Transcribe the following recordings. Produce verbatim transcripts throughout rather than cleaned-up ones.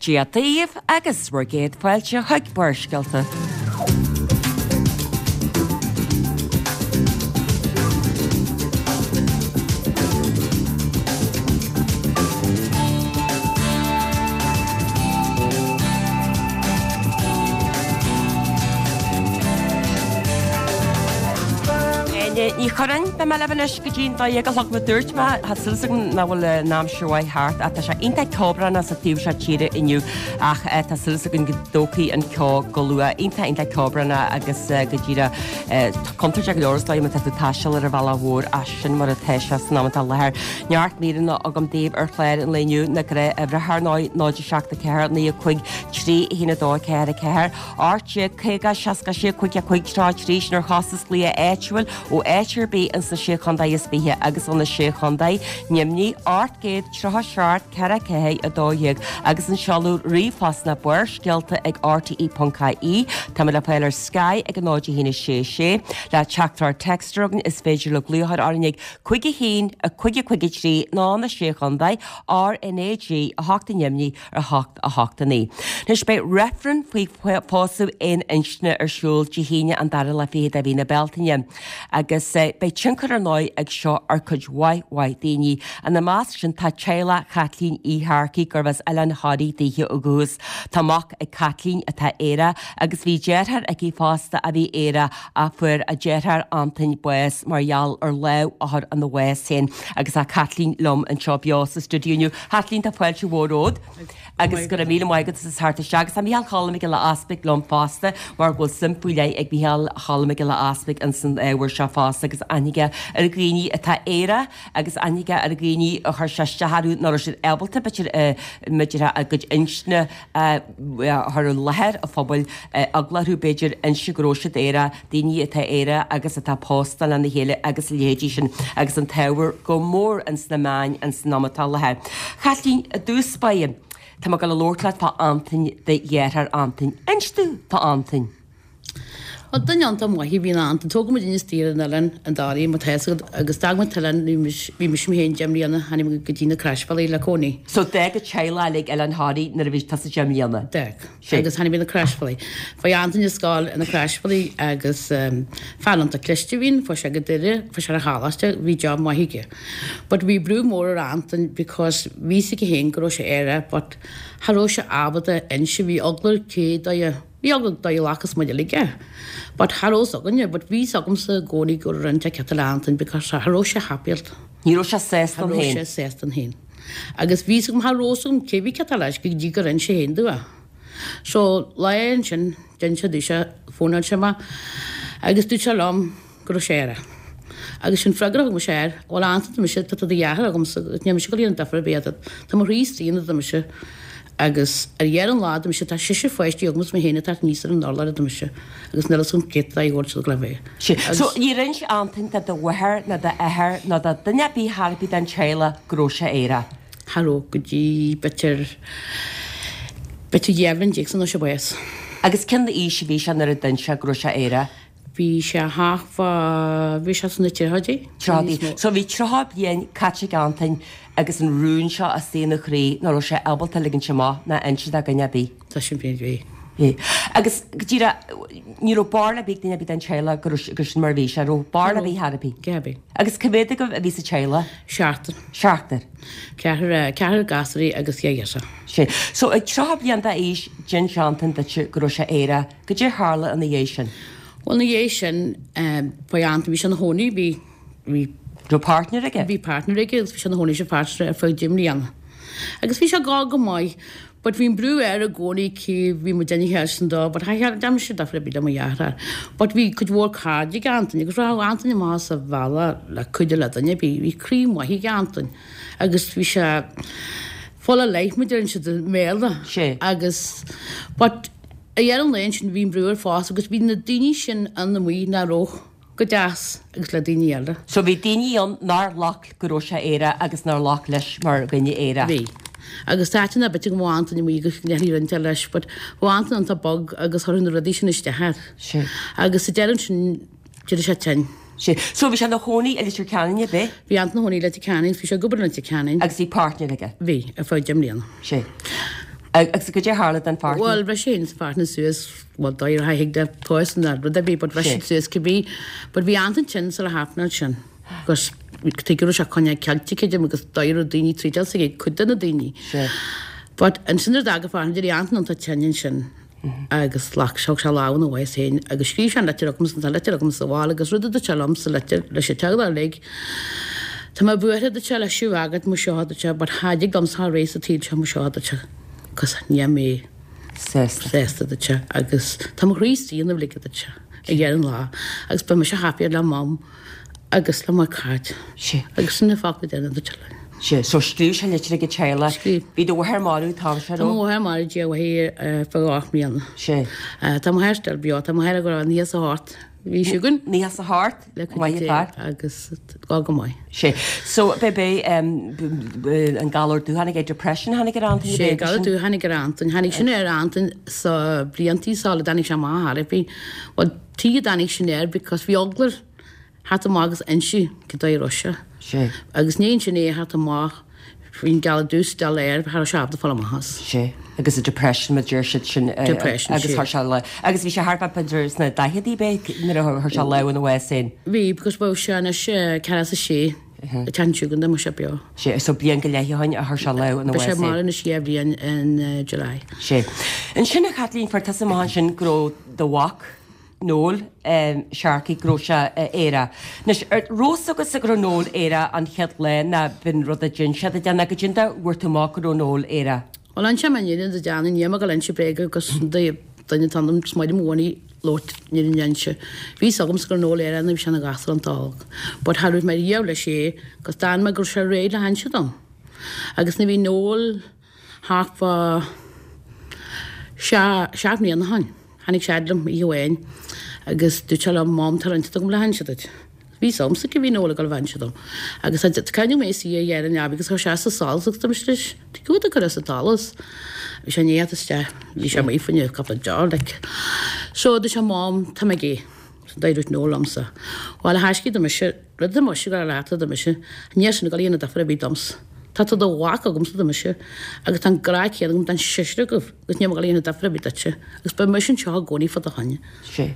Dia daoibh agus bhur gcéad fáilte chuig Barrscéalta. Áine Ní Churráin, beidh mé libh anois go dtí'n dó dhéag a chlog mar dúirt mé, tá súil agam nach bhfuil an aimsir mhaith thart ach tá sé iontach ceobhránach sa taobh seo tíre inniu ach tá súil againn go dtógfaidh an ceo go luath. Iontach iontach ceobhránach agus go díreach contúirteach go leor is dóigh má tá tú ag taisteal ar an bhealach mhór ach sin mar atá sé san am atá i láthair. Neart míreanna agam daoibh ar chlár an lae inniu, na gnáthuimhreacha ar ndóigh, náid a seacht a ceathair, naoi a cúig, trí a haon a dó a ceathair a ceathair, ocht déag caoga seasca sé cúig a cúig tríocha a trí, sin ar chostas glaoch áitiúil ó áit ar bith ins na Sé Chontae is Fiche agus ó na Sé Chontae, Nimhní, ocht gcéad tríocha seacht ceithre ceathair a dó dhéag agus an seoladh ríomhphost ná barrscéalta ag rte ponc ie. Tá mé le fáil ar Sky ag a náid a haon a sé sé. Le teachtaireacht téacs a chur chugainn is féidir le glaoch a chur orainn ag cúig a haon a cúig a cúig a trí ná na Sé Chontae, R N A G a hocht i nDoimní ar hocht a hocht a naoi. Anois beidh reifreann faoi phósadh aon inscne ar siúl Dé hAoine an dara lá fichead de mhí na Bealtaine agus beidh tionchar ar ndóigh ag seo ar cuid mhaith mhaith daoine. Ina measc sin tá teaghlach Chaitlín Uí Shearcaigh gurbh as Oileán Thoraí daoithe ó dhúchas. Tá mac ag Caitlín atá aerach agus bhí deartháir aici fosta a bhí aerach ach fuair a deartháir Antain bás mar gheall ar lámh a chur ina bhás féin agus tá Caitlín liom anseo beo sa stiúideo inniu. Chaitlín tá fáilte mhór romhat agus go raibh míle maith agat as theacht isteach agus tá Mícheál Cholm Mac Giolla Easpaig liom fosta mar go bhfuil suim faoi leith ag Mícheál Cholm Mac Giolla Easpaig ins an ábhar seo fosta agus aithne aige ar dhaoine atá aerach agus aithne aige ar dhaoine a chuir sé isteach orthu nach raibh siad ábalta b'fhéidir b'fhéidir a gcuid inscne a chur i láthair an phobail eagla orthu b'fhéidir inse go raibh siad aerach, daoine atá aerach agus atá pósta lena chéile agus a leithéidí sin agus an t-ábhar go mór ins na meáin ins an am atá i láthair. Chaitlín, i dtús báire, tá mé ag dul a labhairt leat fá Antain, do dheartháir Antain. Inis domh fá Antain. Bhuel, duine iontach maith a bhí in Antain. Tógadh muid istigh ar an oileán i nDoirí, má tá fhios agat, agus d'fhág muid an t-oileán, bhí mise, bhí mise mé féin deich mbliana, tháinig muid go dtí na Croisbhealaí le cónaí. So d'fhág an teaghlach uilig Oileán Thoraí nuair a bhí tusa deich mbliana? D'fhág. Sé. Agus tháinig muid na Croisbhealaí. Bhí Antain ag scoil i na Croisbhealaí agus fear iontach cliste a bhí ann, fuair sé go Doire, fuair sé ar an choláiste, bhí job maith aige. But bhí brú mór ar Antain because bhí fhios aige féin go raibh sé aerach but cha raibh sé ábalta inse, bhí eagla air cé dóigh a, bhí eagla dóigh a ghlacfadh muid uilig é. But cha raibh fhios againne, but bhí fhios agamsa i gcónaí go raibh rud inteacht ceart le Antain because cha raibh sé happy-áilte. Ní raibh sé sásta Cha ann raibh féin. sé sásta ann féin. Agus bhí fhios agam, cha raibh fhios agam cé bhí ceart leis go dtí gur inis sé féin domh é. So lá ansin, d'inis sé domhsa, fónáil sé mé agus dúirt sé liom go raibh sé aerach. Agus sin freagra a thug mise air, bhuel Antain tá mise, tá do dheartháir agamsa, níl mise ag dul a dhéanamh difear ar bith ionat, tá mo chroí istigh ionat a deir mise. Agus ar dheireadh an lae a deir mise, tá seisear pháistí agam is mé féin ag teacht aníos ar an urlár a deir mise agus níl fhios agam cé dóigh a bhfuil siad ag gabháil a bheith. Sea. Agus. So níor inis Antain do do mháthair ná d'athair ná do dhuine ar bith ar bith den teaghlach go raibh sé aerach? Cha raibh go dtí b'fhéidir, b'fhéidir dhá bhliain déag sular fuair sé bás. Agus cén aois a bhí sé nuair a d'inis sé go raibh sé aerach? Bhí sé thart fá, bhí sé sna tríochaidí. Tríochaidí. So bhí tríocha bliain caite ag Antain agus an rún seo istigh ina chroí nach raibh sé ábalta ligint amach ná inse do dhuine ar bith. Tá sin fíor, bhí. Bhí. Agus go díreach, ní raibh barúil ar bith ag duine ar bith den teaghlach go raibh, gur sin mar a bhí sé, raibh barúil ar bith ar bith. Cé ar bith. Agus cá mhéad agaibh a bhí sa teaghlach? Seachtar. Seachtar. Ceathrar, ceathrar gasúraí agus dhá ghirseach. Sea. So ag tríocha bliain d'aois, d'inis Antain duitse go raibh sé aerach. Goidé a tharla ina dhiaidh sin? Bhuel, ina dhiaidh sin, ba é Antain, bhí sé ina chónaí, bhí, bhí. Raibh partner aige? Bhí partner aige agus bhí sé ina chónaí leis an pháirtnéir ar feadh deich mbliana. Agus bhí sé ag gabháil go maith, but bhí an brú air i gcónaí cé bhí muid ina sheilsean dó, but cha dhearna mise difear ar bith le mo dheartháir. But bhí cuid mhór cairde ag Antain agus rachadh Antain amach as a bhealach le cuidiú le duine ar bith. Bhí croí maith ag Antain agus bhí sé full of life, mar a deireann siad i mBéarla. Sea. Agus, but Ar dheireadh an lae ansin bhí an brú air fosta agus bhí na daoine sin ann amuigh nach raibh go deas agus le daoine eile. So bhí daoine ann nár ghlac go raibh sé aerach agus nár ghlac leis mar dhuine aerach. Bhí. Agus thaitin a bit go mbeadh Antain amuigh agus go ndéanfaí roinnt leis but bheadh Antain iontach bog agus chuirfeadh na rudaí sin isteach air. Sea. Agus sa deireadh ansin d'éirigh sé tinn. Sea. So bhí sé ina chónaí i Leitir Ceanainn, ab é? Bhí Antain ina chónaí i Leitir Ceanainn agus bhí sé ag obair i Leitir Ceanainn. Agus bhí partner aige? Bhí, ar feadh deich mbliana. Sea. Agus goidé tharla don pháirtí? Bhuel, bhris sé an pháirtí suas, bhuel, dóigh a thuig de toys na rud ar bith, but bhris siad suas cibé. But bhí Antain tinn sula happenáil sin. Agus tuige raibh sé coinneáil ceilte creidim agus dóigh a raibh daoine tríd eile ag cuid de na daoine. But ansin nuair a d'fhág a pháirtí, d'éirigh Antain iontach tinn ansin agus ghlac thug sé lámh ina bhás féin agus scríobh sé an litir agamsa, tá an litir agam sa bhaile agus rud a dúirt sé liom sa litir leis an teaghlach uilig, Tá mé buartha dúirt sé le sibh agat mo seo dúirt sé but cha dtig liomsa a ré sa tsaol seo mo seo dúirt sé cos níl mé Sásta. sásta dúirt sé agus tá mo chroí istigh ina bhligead dúirt sé ag deireadh an lá agus beidh mise happier le mam agus le mo chaid. Sé. Agus sin na focla deireanacha dúirt sé linn. Sé, so scríobh sé litir ag an teaghlach. Scríobh. Bhí do mháthair marbh an t-am seo Tá mo mháthair marbh Dia uaithi fá ocht mbliana. Sé. Tá mo athair still beo, tá mo athair ag rá níos a hocht. Bhí sé againn Ní as a hocht? le Maith cuid fear. agus gá go maith. Sé. So b'é an galar dubh tháinig é depression tháinig ar Antain? Sé galar dubh tháinig ar Antain, tháinig sin ar Antain sa bliantaí sula dtáinig sé amach thar bhí. Well tuige dtáinig sin air because bhí eagla air theacht amach agus inse cad é raibh sé. Sé. Agus ní sin é theacht amach bhí'n galar dubh still air cha raibh sé ábalta fáil amach as. Sé. Agus a depression ma deir siad sin Depression, agus sé. thar sé le agus bhí sé thart fá b'fhéidir sna daicheadaí b'é nuair a chuir sé lámh ina bhás féin. Bhí because bhí sé anois ceathracha is a sé a tean siúgan de sé beo. Sé so bliain go leith ó shin a chuir sé lámh ina Bhí sé bhás mar féin. anois dhá bhliain in uh, July. Sé. Ansin a Chaitlín fuair tusa amach ansin go raibh do mhac Noel um, Sharkey go raibh sé uh, aerach. Anois raibh fhios agatsa go raibh Noel aerach an chéad lá ná b'in rud a d'inis sé duit ná goidé a bhfuair tú amach go raibh Noel aerach. Well an sem an dhéanamh de deanna ní go lein bréige agus duine tanam smaide mhóí lót ní an se. Bhí agam gur Noel aerach na bhí sé na gasúr an t-óg. But cha raibh mé riamh leis é gus d'fhan mé gur sé réidh le hainse dom. Agus na bhí Noel thart fá seacht mbliana ó shin. Tháinig sé liom oíche amháin agus dúirt sé liom mam tá roinnt agam le hainse duit. Bhí samsa go bhí Noel ag dul bhain dom. Agus cainú mé si a dhéar an agus chuir sé sa solas agus dom leis Tá go a chur sa talas. Bhí sé néad isteach, bhí sé maith faoine cúpla deor like. So dúirt sé mam tá mé gay. Dúirt Noel liomsa. Well a thaiscí do mise rud do mise go leat do mise, ní sin go líana difear a bhí doms. Tá tú do mhac agamsa do mise agus tá grá céad agam don seisear agaibh agus ní go líana difear a bhí duitse agus beidh mise anseo i gcónaí fá do choinne. Sé.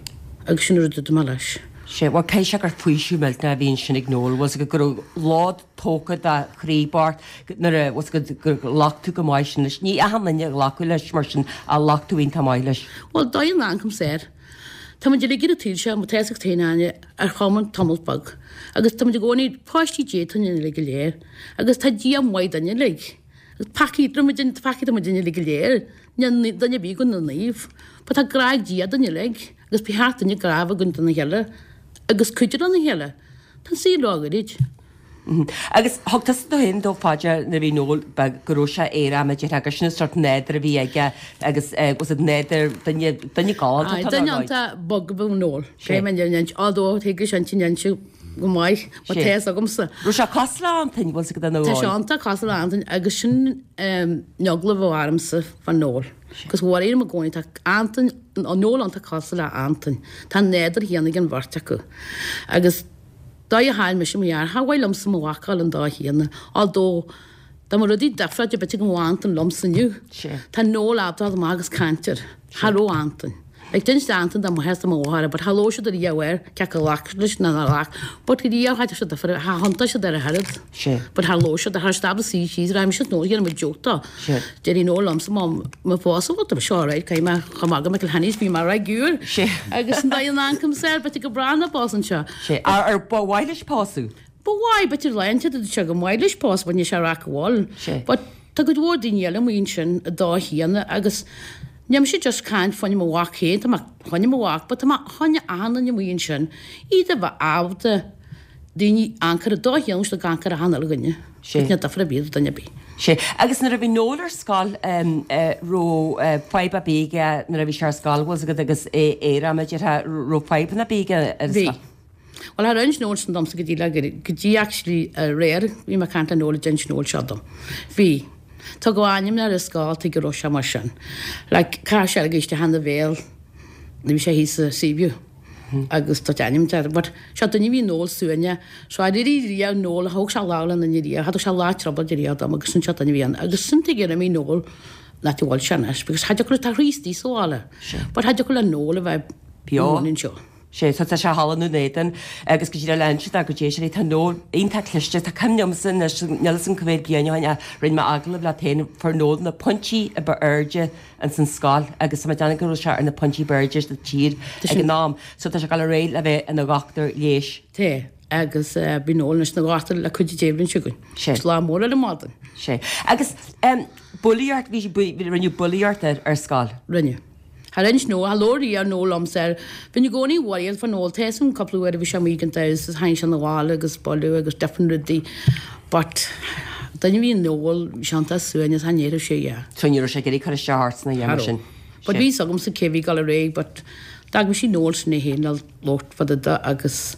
Agus sin rud do leis. Sé, well cé sé gur faoiseamh millteanach a bhí ansin ag Noel, was go raibh lod tógtha dá chroí bocht nuair a was go gur ghlac tú go maith sin leis. Ní achan duine a ghlacadh leis mar sin a ghlac tú iontach maith leis. Well dóigh an ancam saor. Tá muid uilig ar an tsaol seo, má tá fhios agat féin Áine ar chuma tamall beag. Agus tá muid i gcónaí páistí Dé tá muid uilig go léir. Agus tá Dia maith duinn uilig. Agus peacaí muid peacaí muid uilig go léir. Níl duine ar bith againn naomh. Ba tá grá ag Dia duinn uilig. Agus ba cheart duinn grá a bheith againn dona chéile. Agus cuidiú lena chéile. Tá an saol róghairid. Agus thug tusa do féin dó fá dear nuair a bhí Noel beag go raibh sé aerach mar a déarfá agus sin an sórt nádúr a bhí aige agus was it nádúr duine duine galánta Aye, duine iontach bog ab ea Noel. Sé mé an although thuig sé an sin go maith, má Sé. tá fhios agamsa. Raibh sé cosúil le Antain bhfuil go Tá sé iontach cosúil le Antain agus sin an eagla a bhí ormsa fá Noel. Cos bhí i gcónaí tá Antain an Noel iontach cosúil le Antain. Tá nádúr chéanna ag an bheirt acu. Agus dá a mise mo dheartháir, cha mhaith liomsa mo mhac a fháil an dá chéanna, although dá mba rudaí difriúil b'fhéidir go mbeadh Antain liomsa inniu. Sé. Tá Noel ábalta amach agus caint air. Cha raibh Antain. Like d'inis Antain dá mháthair is dá mháthair, but cha labhair siad ariamh air, cé acu a ghlac leis nó nár ghlac. But go dtí cha raibh siad difriúil, cha thiontaigh siad ar a oiread. Sé. But cha labhair siad, cha raibh siad suí síos, raibh mise Noel dhéanamh joke dó. Sé. Déirí Noel liomsa má má pósadh, tá seo alright, caithfidh mé chomh maith go McElhenney's bhí mé right giúr. Sé. Agus an dóigh an ancam saor, b'fhéidir go breá na bás anseo. Sé ar ar ba mhaith leis pósadh. Ba mhaith b'fhéidir leinte sé go maith leis pósadh bhain sé rac bhil. Sé. But tá go mhór daoine eile amuigh ansin a dá chéanna agus níl mise just caint fá choinne mo mhac féin, tá mé fá choinne mo mhac, but tá mé fá choinne achan duine amuigh ansin, iad a bheith ábalta daoine ancair a dá chéanna le ancair achan uile dhuine. Sé. Ní difear ar bith do duine ar bith. Sé agus nuair a bhí Noel ar scoil raibh fadhb ar bith aige nuair a bhí sé ar scoil bhfuil agat agus é aerach mar a déarfá raibh fadhbanna ar bith aige ar Bhí. scoil. Well char inis Noel sin domsa go dtí le go dtí actually aréir bhí mé ag caint le Noel d'inis Noel seo dom. Bhí. Tá go ainm ar scoil go raibh sé mar sin. Like chaith sé ag isteach ina bhéal ní bhí sé thíos sa Seaview. Agus tá ainm de, but seo duine bhí Noel suaine, so a rí rí Noel thóg sé lá lena ní rí, thug sé lá trouble de rí dom agus sin seo duine bhí ann. Agus sin tuige mí Noel Nach bhfuil sé anois, because cha dtiocfadh tá Chríostaí sa bhaile. But cha dtiocfadh le Noel a bheith Beo. anseo. Sé, so tá sé thall i nDún Éideann agus go dtí le inse dá go dté sé tá Noel iontach cliste, tá cuimhne agamsa anois níl 'fhios a'm cá mhéad bliain ó shin a rinne mé agallamh leat féin fuair Noel na pointí a ba airde ins an scoil agus tá mé ag déanamh go raibh sé ar na pointí ba airde sa tír ag an am. So tá sé ag dul ar aghaidh le bheith ina dhochtúir leighis. Tá, agus bhí Noel anois ina dhochtúir le cuid Dé bliain seo chugainn. Sé. Is lá mór ar an maidin. Sé. Agus um, bulaíocht, bhí bhí rinneadh bulaíocht ar ar scoil. Rinne. Thar inis nó a lóirí ar Noel liomsa ar bhí i gcónaí worried fa Noel tá an cúpla uair a bhí sé amuigh gan dabht is tháinig sé na bhaile agus buladh agus different rudaí but duine bhí Noel bhí sé iontach suaimhneach is ní raibh sé yeah. So ní raibh sé ag iarraidh cur isteach ort sna dhéanamh sin. But bhí agam sa cé bhí gal réidh but d'fhág sí Noel sin é féin le labhairt fá dtaobh de agus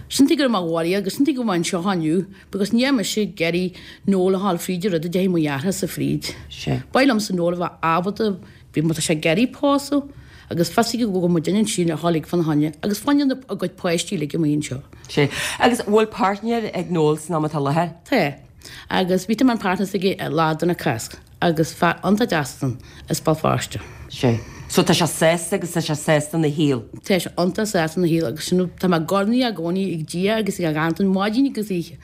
sin go raibh mé worried agus sin go bhfuil anseo inniu because ní mise ag iarraidh Noel a fháil fríd an rud a déanfaidh mo dheartháir sa fríd. Sé. Ba liom sa Noel a bheith ábalta bhí má tá sé ag iarraidh pósadh agus fasi go bhfuil muid sin a tháinig fan haine agus fanne a gcuid páistí le go anseo. Sé. Agus bhfuil partner ag Noel san am atá láthair? Tá. Agus bhí an partner aige lá den na Cásca agus fear iontach deas as Béal Feirste. Sé. So tá sé sásta agus tá sé sásta na shaol. Tá sé iontach sásta na shaol agus sin tá mé gornaí a gcónaí ag Dia agus ag an maidin agus oíche.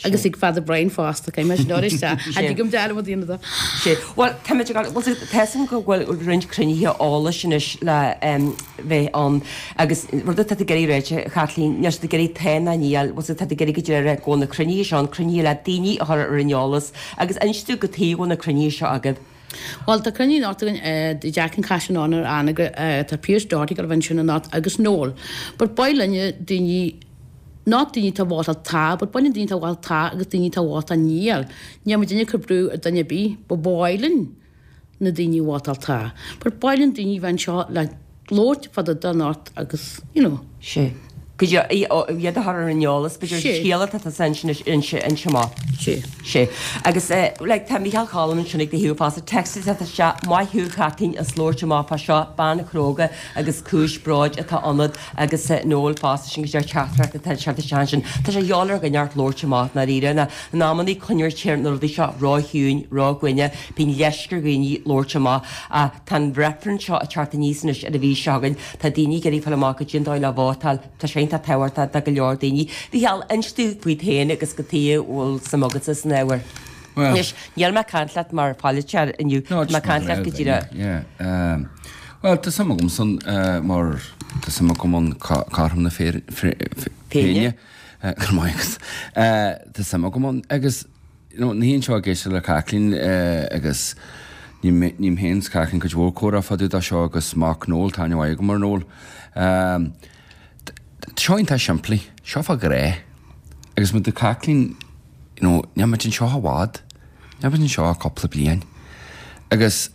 Agus ag Father Brian fosta cé me nóir a gom dean daoine da. Sé. Well tá tá go bhfuil roinnt cruinnithe eolais anois le um, bheith ann agus rud atá ag iarraidh ráite Kathleen níl siad ag iarraidh tá ná níl, bhfuil tá ag iarraidh go deireadh go na cruinnithe seo an cruinnithe le daoine a chur ar an eolas agus instú go taobh na cruinnithe seo agaibh. Well tá cruinniú anocht againn de Jack and Cash an ar anna tá Pierce Doherty go bhfuil sin anocht agus Noel. But ba linne daoine not daoine tá bhá tá, but baineann daoine tá bhá tá agus daoine tá bhá tá níl. Ní mu duine chu brú ar duine bí, ba báilinn na daoine bhá tá. But baileann daoine bhean seo le labhairt fá dtaobh anocht agus, you know. Sé. Go iad a chur ar an eolas, b'fhéidir Sé. scéala tá san sin inse inse maith. Sé. Sé. Agus like, tá Michael Collin sin ag de fá text a se maith thú Chatín is labhairt amach fá seo bean chróga agus cúis bróid atá ionat agus eh, Noel fosta sin go deir teachtaireacht atá se se sin. Tá sé dheacair go neart labhairt amach na ríre na námannaí coinir na rudaí seo ráhiún rághuine bín leisce ar dhaoine labhairt amach a tá an referendum seo a teacht aníos anois ar a bhí seo againn tá daoine ag iarraidh fáil amach go dtíon dóigh le vótáil tá sé tá tábhachtach do go leor daoine. Bhí heall instú faoi féin agus go tí bhfuil sa agatsa san ábhar. Well- Anois, níl mé caint leat mar pholaiteoir inniu má caint leat go díreach. Yeah. Um, well, tá suim agam san uh, mar tá suim agam an cothrom na Féinne. féinne. Agus tá suim agam an agus you know, ní seo géiste le Kathleen uh, agus ní héin Kathleen cuid mhór comhrá fadú dá seo agus mac Noel tá go mar Noel. Um, seo tá simplí, seo fá gré agus mu de Kathleen you know, ní an seo i bhfad, ní an seo cúpla bliain. Agus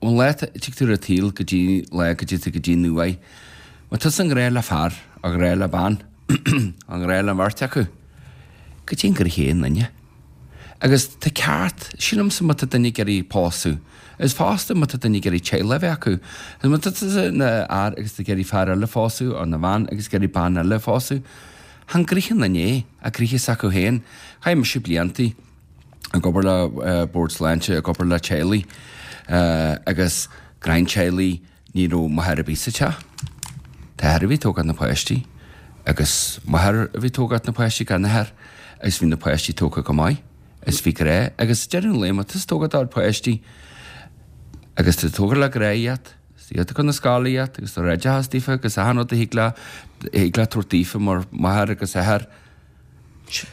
ón le tig tú a tíl go dtí le go dtí go dtí nuai, Ma tu an gré le fear a gré le ban an gré le bheirt acu, go dtí gur chéan linne. Agus tá ceart sílim sa má tá duine ag iarraidh pósadh. Is fosta má tá duine ag iarraidh teaghlach bheith acu. Is má tá na fhear agus ag iarraidh fear eile phósadh ar na bhean agus ag iarraidh bean eile phósadh. Han gríchan na né a gríche acu féin, Chaith mise bliantaí ag obair le uh, Bord Sláinte ag obair le teaghlaigh uh, agus grein teaghlaigh ní raibh máthair ar bith sa teach. Tá a bhí tógáil na páistí agus máthair a bhí tógáil na páistí gan athair agus bhí na páistí tógtha go maith. Is bhí grá agus deireadh an lae má tá tógáil páistí agus tá tógar le grá iad, iad chun na scoile iad agus tá oideachas daofa agus achan rud a thig le thig le tabhairt daofa mar máthair agus athair.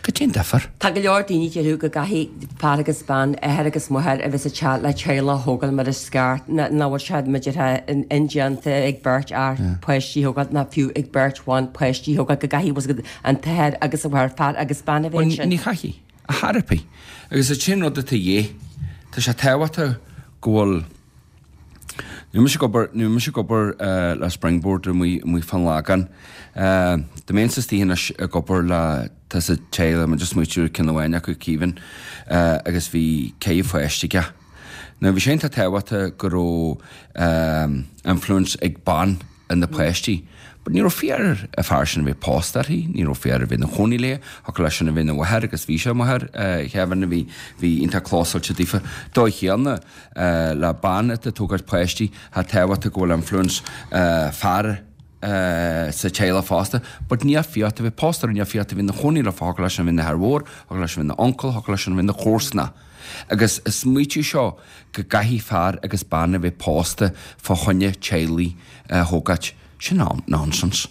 Go dtéann difear. Tá go leor daoine deirú go gcaithfidh fear agus bean athair agus máthair a bheith sa teach le teaghlach a thógáil mar is ceart ná bhfuil sé muidirthe indéanta ag beirt fhear páistí thógáil ná fiú ag beirt bhan páistí thógáil go gcaithfidh an t-athair agus an mháthair fear agus bean a bheith Well, sin. ní chaithfidh a therapy. Agus é sin rud atá dhé Tá sé tábhachtach go bhfuil Nu mis gober nu mis gober uh, le Springboard mu mu fan lagan. Uh, de mensen die hin gober le tá sa teile ma just muú cin amháin acu Kevin uh, agus bhí cé fáistige. Now bhí sé tá tábhachtach go raibh um, influence ag ban na páistí. But ní raibh fiach ar an fear sin a bheith pósta uirthi, ní raibh fiach air a bheith ina chónaí léi, thiocfadh leis sin a bheith ina mháthair agus bhí sé ina mháthair, Kevin, a bhí bhí iontach clósáilte daofa. Dóigh chéanna le bean atá ag tógáilt páistí, tá tábhachtach go bhfuil influence fear sa teaghlach fosta, but níl fiach ort a bheith pósta uirthi, níl fiach ort a bheith ina chónaí leofa, thiocfadh leis sin a bheith ina athair mhór, thiocfadh leis sin a bheith ina uncail, thiocfadh leis sin a bheith ina chomharsana. Agus an smaoitiú seo go gcaithfidh fear agus bean a bheith pósta fá choinne teaghlaigh a thógáilt, sin nonsense.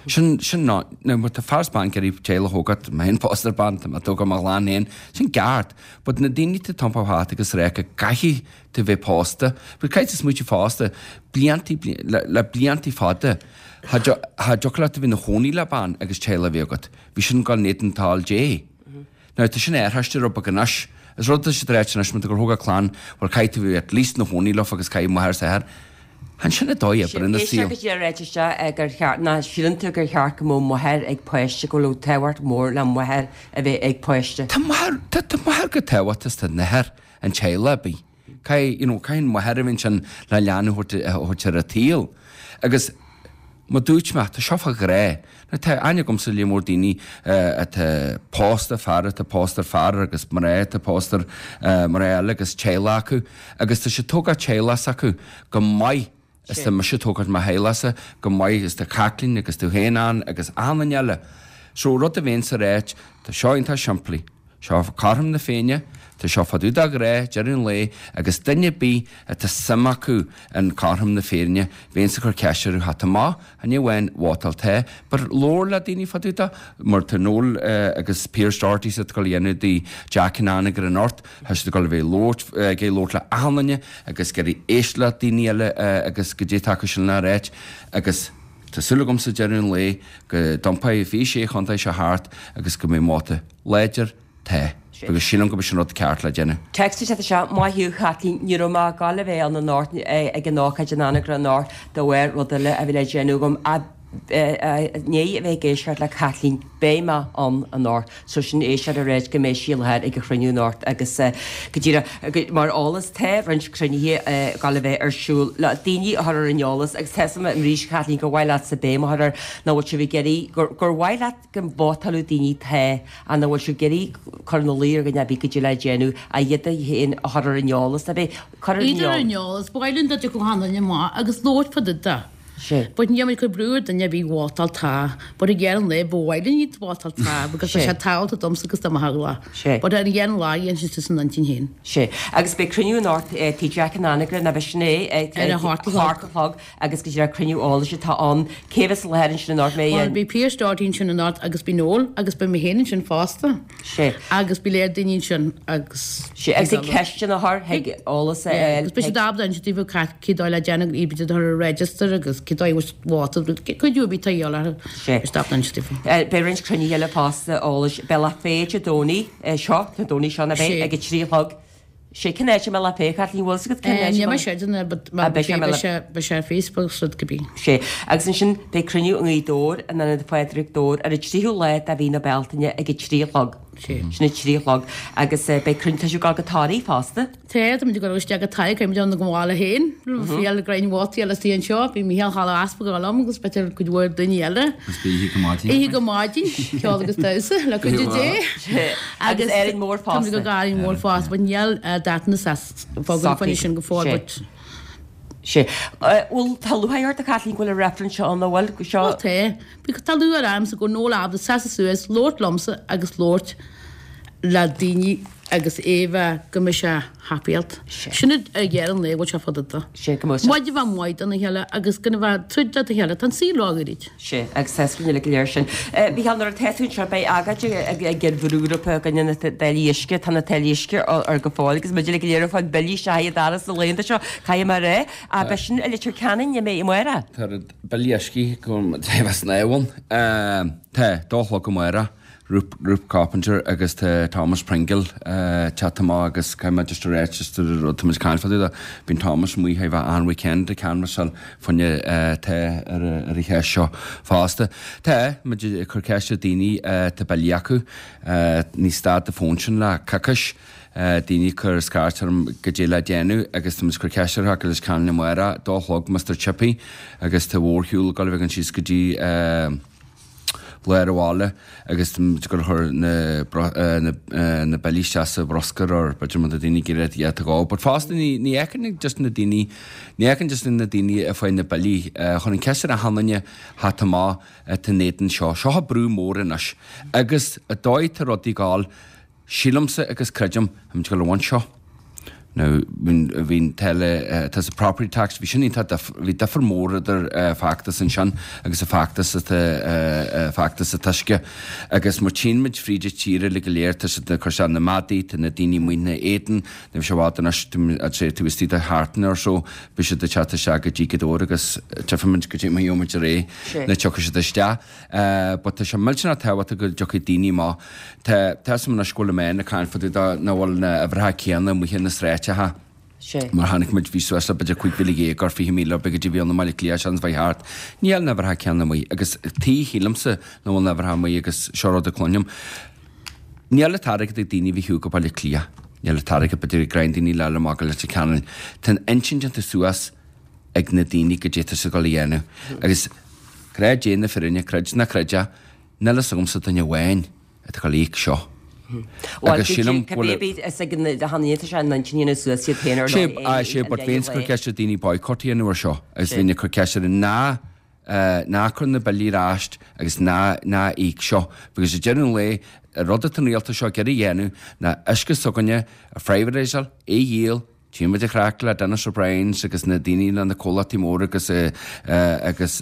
Sin, sin ná, now má tá fear is bean ag iarraidh teaghlach a thógáilt, tá mé féin pósta ar bean, tá mé ag tógáil mo chlann féin, sin ceart. But na daoine atá ag iompú thart agus ag rá go gcaithfidh tú bheith pósta, but caithfidh tú smaoitiú fosta, bliantaí, le, le bliantaí fada, cha dtiocfadh leat a bheith ina chónaí le bean agus teaghlach a bheith agat. Bhí sin ag dul in éadan toil Dé. Now tá sin athraithe rud beag anois. Is rud atá siad ag ráit anois, má tá tú ag tógáil clann, bhuel caithfidh tú bheith at least ina chónaí leofa agus caithfidh máthair is athair. Chan sin an dóigh oibre ina saol. Éisteacht go dtí a ráiteas seo gur cheart, ná síleann tú gur cheart go mbeadh máthair ag páiste, go bhfuil tábhacht mór le máthair a bheith ag páiste? Tá máthair, tá, tá máthair chomh tábhachtach is tá an-athair an teaghlach ar bith. Caithfidh, you know, caithfidh an mháthair a bheith ansin le leanbh a thabhairt, a thabhairt ar an tsaol. Agus mar dúirt mé, tá seo fá ghrá. Now tá aithne agamsa líon mór daoine atá pósta, fear atá pósta ar fear agus mná atá pósta ar mná eile agus teaghlach acu agus tá siad ag tógáil teaghlach s'acu go maith is tá mise ag tógáil mo theaghlachsa go maith is tá Caitlín agus tú féin ann agus achan duine eile. So rud a bheinnse ag ráit, tá seo iontach simplí. Seo cothrom na Féinne, tá seo fá dtaobh de ghrá, deireadh an lae, agus duine ar bith atá suim acu in cothrom na Féinne, bheinnse ag cur ceist orthu, tá maith, chan ní amháin vótáil tá, but labhair le daoine fá dtaobh de, mar tá Noel agus Pearse Doherty siad ag dul a dhéanamh di Jack in Anagaire anocht, tá siad ag dul a bheith labhairt, ag labhairt le achan duine agus ag iarraidh éisteacht le daoine eile agus goidé atá acu sin le ráit agus tá súil agamsa deireadh an lae go dtiompóidh fiche sé chontae seo thart agus go mbeidh vóta láidir Tá. Agus sílim go b'shin an rud ceart le déanamh. Text isteach, Maith thú, a Chaitlín, ní raibh mé ag gabháil a bheith ann anocht ag an ócáid in Anagaire anocht de bharr rud eile a bhí le déanamh agam ach i ndiaidh a bheith ag éisteacht le Caitlín beidh mé ann anocht. So sin éisteoir ag ráit go mbeidh sí i láthair ag an chruinniú anocht agus go díreach mar eolas tá roinnt cruinnithe ag gabháil a bheith ar siúl le daoine a chur ar an eolas agus tá a fhios agam arís Caitlín gur mhaith leatsa béim a chur air nach bhfuil sibh ag iarraidh gur mhaith leat go vótálfadh daoine tá ach nach bhfuil sibh ag iarraidh cur ina luí ar dhuine ar bith goidé le déanamh ach iad féin a chur ar an eolas a bheith cur ar an Iad ar an eolas, ba mhaith linn dá dtiocfadh achan duine amach agus labhairt fá dtaobh de. Sé. But níl muid ag cur brú ar duine ar bith vótáil tá, but ag deireadh an lae ba mhaith linn iad vótáil tá because tá sé tábhachtach domsa agus do mo theaghlach. Sé. But ar deireadh an lae dhéan siad suas a n-intinn féin. Sé. Agus beidh cruinniú anocht Tigh Jack in Anagaire, nach b'shin é? Ar a hocht a chlog. Hocht a chlog. Agus go díreach cruinniú eolais atá ann. Cé bheas i láthair ansin anocht? Mbeidh Bhuel, an. beidh Pearse Doherty ansin anocht agus beidh Noel agus beidh mé féin ansin fosta. Sé. Agus beidh léir daoine ansin agus. Sé. Agus ag ceisteanna a chur, thig eolas a Yeah, fháil, agus beidh thig. siad ábalta inse daoibh cad cé dóigh le déanamh iad a chur ar register agus cé dóigh a bhfuil vóta, cuidiú ar bith atá a dhíobháil orthu. Sé. Beidh siad ábalta inse daofa. Beidh roinnt cruinnithe eile fosta eolais. Beidh Lá Fé Dé Domhnaigh seo, Dé Domhnaigh seo, ná beidh, Sé. ag a trí a chlog. Sé cén áit a mbeidh Lá Fé, Caitlín, bhfuil fhios agat cén áit a Níl mé mbeidh? sure de but Ah, beidh sé beidh sé beidh sé ar Facebook is rud cibé. Sé. Agus ansin beidh cruinniú i nGaoth Dobhair in Ionad Phádraig Dobhair ar an tríú lá de mhí na Bealtaine ag a trí a chlog. Sé. Sin a trí a chlog. Agus beidh cruinniú, tá sibh ag dul go Toraigh fosta? Tá, tá muid ag dul isteach go Toraigh, caithfidh muid ann go bhaile féin, fial greim vótaí eile istigh anseo, bhí Mícheál Choilm Easpag ag dul liom agus b'fhéidir cuid mhór daoine eile. Agus beidh oíche go maidin. Oíche go maidin, ceol agus damhsa le cuidiú Dé. Agus Árainn Mhór Tá muid fosta. go Árainn Mhór fosta, but níl dáta na fógra faoin sin go fóill, Sé. but Sé. Bhuel, tá lúcháir ort a Chaitlín go bhfuil an reifreann seo ann, an bhfuil? Seo. Bhuel tá. Because tá lúcháir ormsa go bhfuil Noel ábalta seasamh suas, labhairt liomsa agus labhairt le daoine agus é bheith go mbeidh sé happy-áilte. Sin ag deireadh an lae bhfuil sé fada de. Sé, go mbeidh sé. Muid a bheith maith dona chéile agus gan a bheith troid le chéile, tá an saol róghairid. Sé, agus tá scoil go léir sin. Mícheál, nuair atá tú anseo beidh agóid ag an bhrúgrúpa i gcoinne na táillí uisce, tá na táillí uisce ar go fóill agus muid uilig go léir ag fáil billí isteach ag an doras na laethanta seo, caithfidh mé a rá. Ach beidh sin i Leitir Ceanainn, an mbeidh, amárach? Tá billí uisce go bheith san ábhal. Tá, dó a chlog amárach. Ruth Coppinger agus tá Thomas Pringle teacht amach agus caithfidh mé just a ráit just a rud tá muid ag caint fá dtaobh de, bíonn Thomas amuigh a bheith an weekend ag canbhasáil fá choinne tá ar ar an cheist seo fosta. Tá muid ag cur ceist ar daoine tá billí acu ní stad de fón sin le coicís Daoine ag cur scairt orm goidé le déanamh agus tá muid ag cur ceist orthu agus Ceann amárach, dó a chlog Mister Chippy agus tá mhórshiúl ag dul a bheith againn síos go dtí lár an bhaile agus tá muid ag dul a chur na na billí isteach sa bhruscar or b'fhéidir má tá daoine ag iarraidh iad a dhó. But fosta ní ní fheiceann just na daoine ní fheiceann just na daoine ag fáil na billí chun an ceist ar achan duine theacht amach atá in éadan seo. Seo brú mór anois agus an dóigh tá rudaí ag gabháil Sílimse agus creidim, tá muid ag dul a bhaint seo. Now, bhí an táille, tá sa property tax, bhí sin iontach, bhí difear mór idir feachtas ansin agus an feachtas atá, feachtas an t-uisce. Agus má tchíonn muid fríd an tír uilig go léir, tá siad ag cur isteach na maidí, tá na daoine amuigh ina éadan, ní bheidh sé i bhfad anois, I'd say taobh istigh de sheachtain or so, beidh siad ag teacht isteach go dtí Gaoth Dobhair agus tchífimid goidé mar a gheobhaimid ar aghaidh nuair a tiocfaidh siad isteach. But tá sé millteanach tábhachtach go dtiocfaidh daoine amach. Tá tá 'fhios a'm anois go bhfuil na meáin ag caint fá dtaobh de nach bhfuil na uimhreacha céanna amuigh ar na sráideacha. Mar chonaic muid bhí suas le b'fhéidir cúig mhíle dhéag or fiche míle b'fhéidir go dtí bhí ann i mBaile Átha Cliath seans bheith thart. Níl na uimhreacha céanna amuigh agus tí shílimse nach bhfuil na uimhreacha amuigh agus seo rud a cluinim. Níl an t-airgead ag daoine a bheith go Baile Átha Cliath. Níl an t-airgead b'fhéidir ag greim daoine le le magadh Leitir Ceanainn. Tá an intinn déanta suas ag na daoine goidé atá siad ag dul a dhéanamh. Agus grá Dé na fírinne, creid ná creid é, níl fhios agamsa duine amháin atá ag dul a íoc seo. Bhuel, Agus sílim go bhfuil cibé is ag na hanaithe sé an intinn dhéanamh suas iad féin ar Sé, ndóigh, aye, sé, but bhínn ag cur ceist ar daoine boycott a dhéanamh ar seo agus bhínn ag cur ceist ar ná ná cur na billí ar ais agus ná ná íoc seo because ag deireadh an lae, an rud atá an rialtas seo ag iarraidh a dhéanamh ná uisce s'againne a phrivatised, é a dhíol, Tchíonn muid an chraic le Denis O'Briens agus na daoine le na comhlachtaí móra agus agus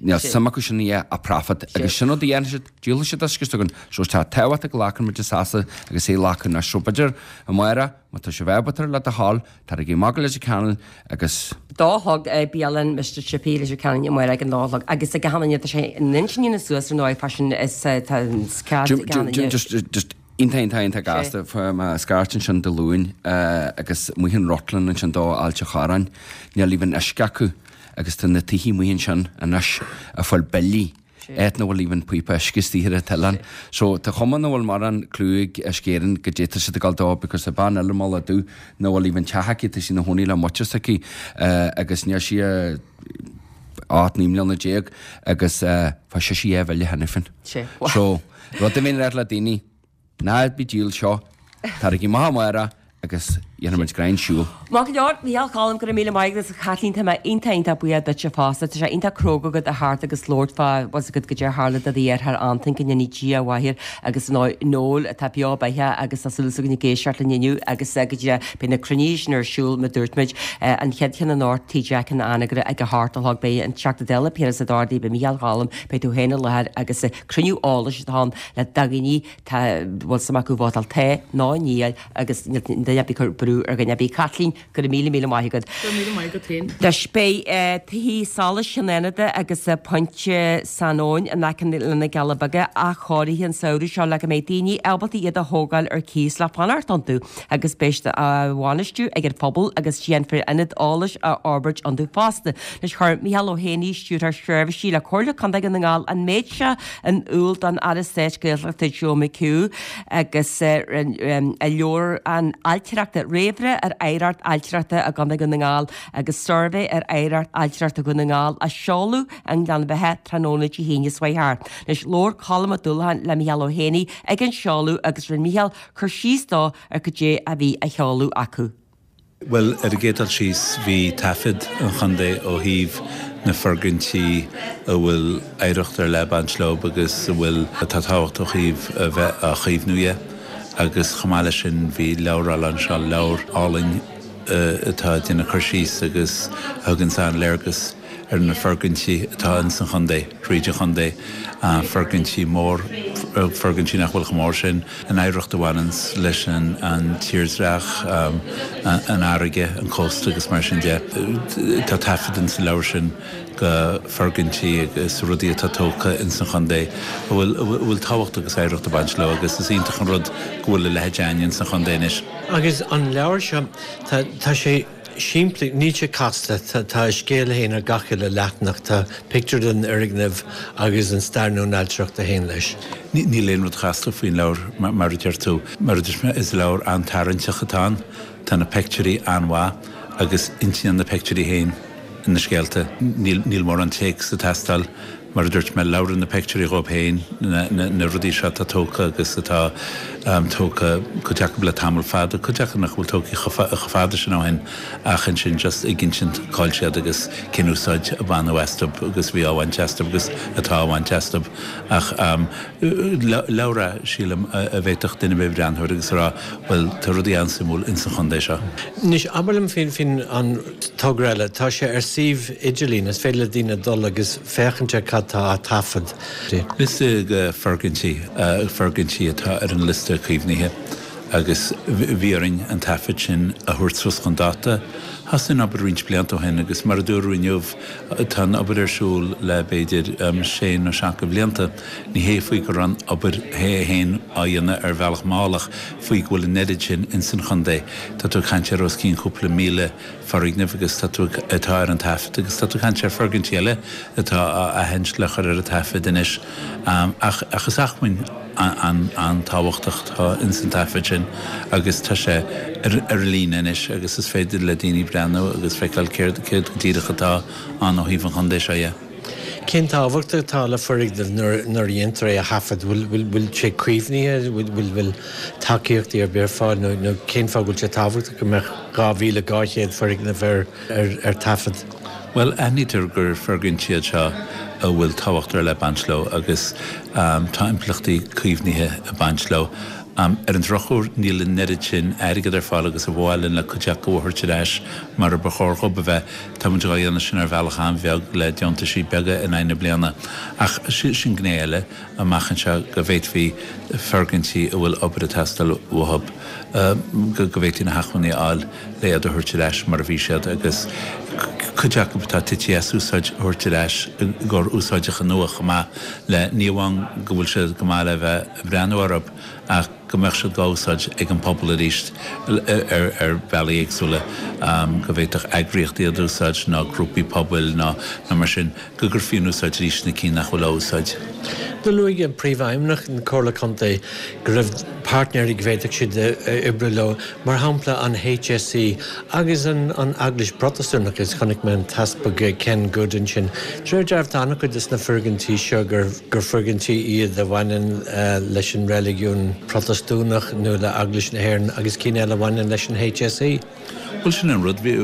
níl suim acu sin a ach profit agus sin rud a dhéanfaidh siad, díolfaidh siad uisce s'againn. So tá tábhacht go nglacann muid seasamh agus é a ghlacadh anois. So b'fhéidir amárach má tá sibh ábalta le do thoil, taraigí amach go Leitir Ceanainn agus. Dó a chlog bialann Mister Chippy Leitir Ceanainn amárach ag an dó a chlog agus ag achan duine tá sé in intinn dhéanamh suas ar ndóigh freisin is tá an cead ag achan duine. Just just Iontach, iontach, iontach gasta. Fuair mé scairt ansin Dé Luain agus amuigh in Rutland ansin do Ailt an Chorráin. Níl even uisce acu agus tá na tithe amuigh ansin anois ag fáil billí áit nach bhfuil even píopa uisce istigh ar an t-oileán. So tá cuma nach bhfuil mórán clue ag Uisce Éireann goidé tá siad ag dul dó because tá bean eile i mBaile Dubh nach bhfuil even teach aici, tá sí ina chónaí le muintir s'aici agus níl sí ocht naoi mbliana déag agus fuair sise dhá bhille cheana féin. So rud a bhíonn ag rá le daoine, Ná bí ag díol seo, taraigí amach amárach agus dhéanfaidh muid greim siúil. Maith go leor, Micheál Choilm, go raibh míle maith agat agus a Chaitlín, tá mé iontach iontach buíoch duitse fosta. Tá sé iontach cróga agat a theacht agus labhairt fá bhfuil 's agat goidé a tharla do dheartháir Antain, go ndéanaí Dia a mhaith air agus ar ndóigh Noel atá beo beathach agus tá súil againn ag éisteacht linn inniu agus go dtí beidh na cruinnithe sin ar siúl mar dúirt muid an chéad cheann anocht Tigh Jeaic in Anagaire ag a hocht a chlog beidh an Teachta Dála Piaras Ó Dochartaigh beidh Micheál Choilm beidh tú féin i láthair agus cruinniú eolais atá ann le daoine Tá bhfuil suim acu vótáil tá nó níl agus níl duine ar bith ag cur brú ar dhuine ar bith. Caitlín, go raibh míle míle maith agat. Go raibh míle maith agat féin. Anois beidh tithe solais Chionn Fhánada agus Pointe San Eoin in aice le na Cealla Beaga athchóirithe an samhradh seo le go mbeidh daoine ábalta iad a thógáil ar cíos le fanacht iontu agus beidh siad á bhainistiú ag an phobal agus déanfar ionad eolais a fhorbairt iontu fosta. Anois chuir Micheál Ó hÉanaí, Stiúrthóir Seirbhísí le Comhairle Contae Dhún na nGall an méid seo in iúl don Aire Stáit Gaeltachta Joe McHugh agus a leabhrán ailtireachta, Réamhrá ar Oidhreacht Ailtireachta i gContae Dhún na nGall agus Suirbhé ar Oidhreacht Ailtireachta Dhún na nGall á seoladh i nGleann Bheatha tráthnóna Dé hAoine seo chuaigh thart. Anois labhair Colm Ó Dúlacháin le Micheál Ó hÉanaí ag an seoladh agus rinne Micheál cur síos dó ar cad é a bhí á sheoladh acu. Bhuel, ar an gcéad dul síos, bhí taifead an chontae ó thaobh na foirgintí a bhfuil oidhreacht ar leith ag baint leo agus a bhfuil, atá tábhachtach ó thaobh a bheith á chaomhnú dhe. Agus chomh maith leis sin, bhí leabhar á lainseáil, leabhar álainn atá ag déanamh cur síos agus a thugann an-léargas ar na foirgintí atá ins an chontae, thríd an chontae, foirgintí mór, foirgintí nach bhfuil chomh mór sin, an oidhreacht a bhaineanns leis an tírdhreach, an fharraige, an cósta agus mar sin de. Tá taifead ins an leabhar sin de foirgintí agus rudaí atá tógtha ins an chontae a bhfuil, a bhfuil tábhacht agus oidhreacht ag baint leo agus is iontach an rud go bhfuil a leithéid againn ins an chontae anois. Agus an leabhar seo, tá, tá sé. simplí, níl sé casta, tá a scéal féin ar gach uile leathanach, tá pictiúr den fhoirgneamh agus an stair nó an ailtireacht a théann leis. Níl aon rud casta faoin leabhar mar a deir tú. Mar a dúirt mé, is leabhar an-tarraingteach atá ann, tá na pictiúirí an-mhaith agus insíonn na pictiúirí féin na scéalta. Níl mórán téacs ag teastáil. Mar a dúirt mé, labhrann na pictiúirí dhóibh féin, na rudaí seo atá tógtha agus atá tógtha cuid acu le tamall fada, cuid acu nach bhfuil tógtha chomh fada sin ó shin ach ansin just ag insint cá'il siad agus cén úsáid a baineadh astu agus bhí á bhaint astu agus atá á bhaint astu. Ach leabhar é, sílim, a bhféadfadh duine ar bith breathnú air agus a rá, bhuel, tá rudaí an-suimiúil ins an chontae seo. Anois, abair liom faoin an togra eile, tá sé ar suíomh idirlín, is féidir le daoine dul agus féachaint ar cad tá á taifead. Liosta de foirgintí, foirgintí atá ar an liosta caomhnaithe agus bhí orainn an taifead sin a thabhairt suas chun dáta. Thosaigh an obair roinnt blianta ó shin agus mar a dúradh inniu, tá an obair ar siúl le b'fhéidir sé nó seacht de bhlianta. Ní hé faoi go raibh an obair féin á dhéanamh ar bhealach mall ach faoi go bhfuil an oiread sin ins an chontae. Tá tú ag caint ar os cionn cúpla míle foirgneamh agus tá tú atá ar an taifead agus tá tú ag caint ar foirgintí eile atá á aithint le chur ar an taifead anois. Ach ach is acmhainn an-tábhachtach atá ins an taifead sin agus tá sé ar ar líne anois agus is féidir le daoine breathnú agus feiceáil céard céard go díreach atá ann ó thaobh an chontae seo dhe. Cén tábhacht atá le foirgneamh nuair a dhéantar é a thaifead? Bhfuil sé caomhnaithe? Bhfuil tacaíochtaí ar bith ar fáil nó cén fáth go bhfuil sé tábhachtach go mbeadh dhá mhíle dhá chéad foirgneamh ar taifead? Bhuel, aithnítear gur foirgintí iad seo a bhfuil tábhacht ar leith ag baint leo agus tá impleachtaí caomhnaithe ag baint leo. Ar an drochuair, níl an oiread sin airgead ar fáil agus a ba mhaith linn le cuid acu a thabhairt ar ais mar a ba chóir dhób a bheith. Tá muid dhá dhéanamh sin ar bhealach an-bheag le deontaisí beaga in aghaidh na bliana. Ach sin gné eile amach anseo go bhféadfaí foirgintí a bhfuil obair ag teastáil uathu, go bhféadfaí na hacmhainní a fháil le iad a thabhairt ar ais mar a bhí siad agus cuid acu atá tite as úsáid a thabhairt ar ais i gcomhair úsáideacha nua chomh maith le ní amháin go bhfuil siad go maith le bheith ag breathnú orthu ach go mbeadh siad dhá úsáid ag an pobal arís ar bhealaí éagsúla, go bhféadfadh eagraíochtaí iad a úsáid nó grúpaí pobail nó mar sin, go gcuirfí in úsáid arís na cinn nach bhfuil á úsáid. Do luaigh Príomhfheidhmeannach na Comhairle Contae go raibh páirtnéirí go bhféadfadh siad oibriú leo, mar shampla an HSE agus an Eaglais Protastúnach, agus chonaic mé an tEaspag Ken Goode ansin. De réir dealraimh tá an-chuid de na foirgintí seo gur foirgintí iad a bhaineann leis an reiligiún Protastúnach nó le Eaglais na hÉireann agus cinn eile a bhaineann leis an HSE. Bhuel, sin an rud. Bhí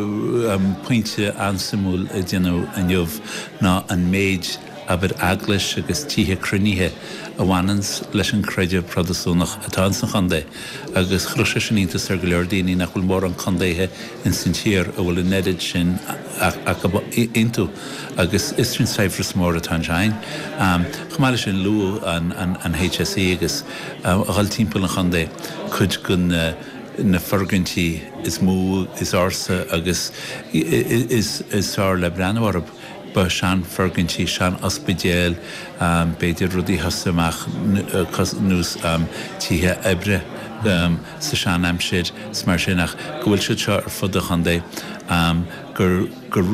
pointe an-suimiúil a déanadh inniu ná an méid, abair, eaglais agus tithe cruinnithe a bhaineanns leis an gcreideamh Protastúnach atá ins an chontae agus chuirfeadh sé sin iontas ar go leor daoine nach bhfuil mórán contaetha ins an tír a bhfuil an oiread sin acu iontu agus is sin saibhreas mór atá anseo againn. Chomh maith leis sin luadh an HSE agus a dhul timpeall an chontae cuid den na foirgintí is mó, is ársa agus is fearr le breathnú orthu. Ba seanfhoirgintí, sean-ospidéil, b'fhéidir rudaí a thosaigh amach nós tithe oibre sa sean-aimsir 's mar sin ach go bhfuil siad seo ar fud an chontae, gur gur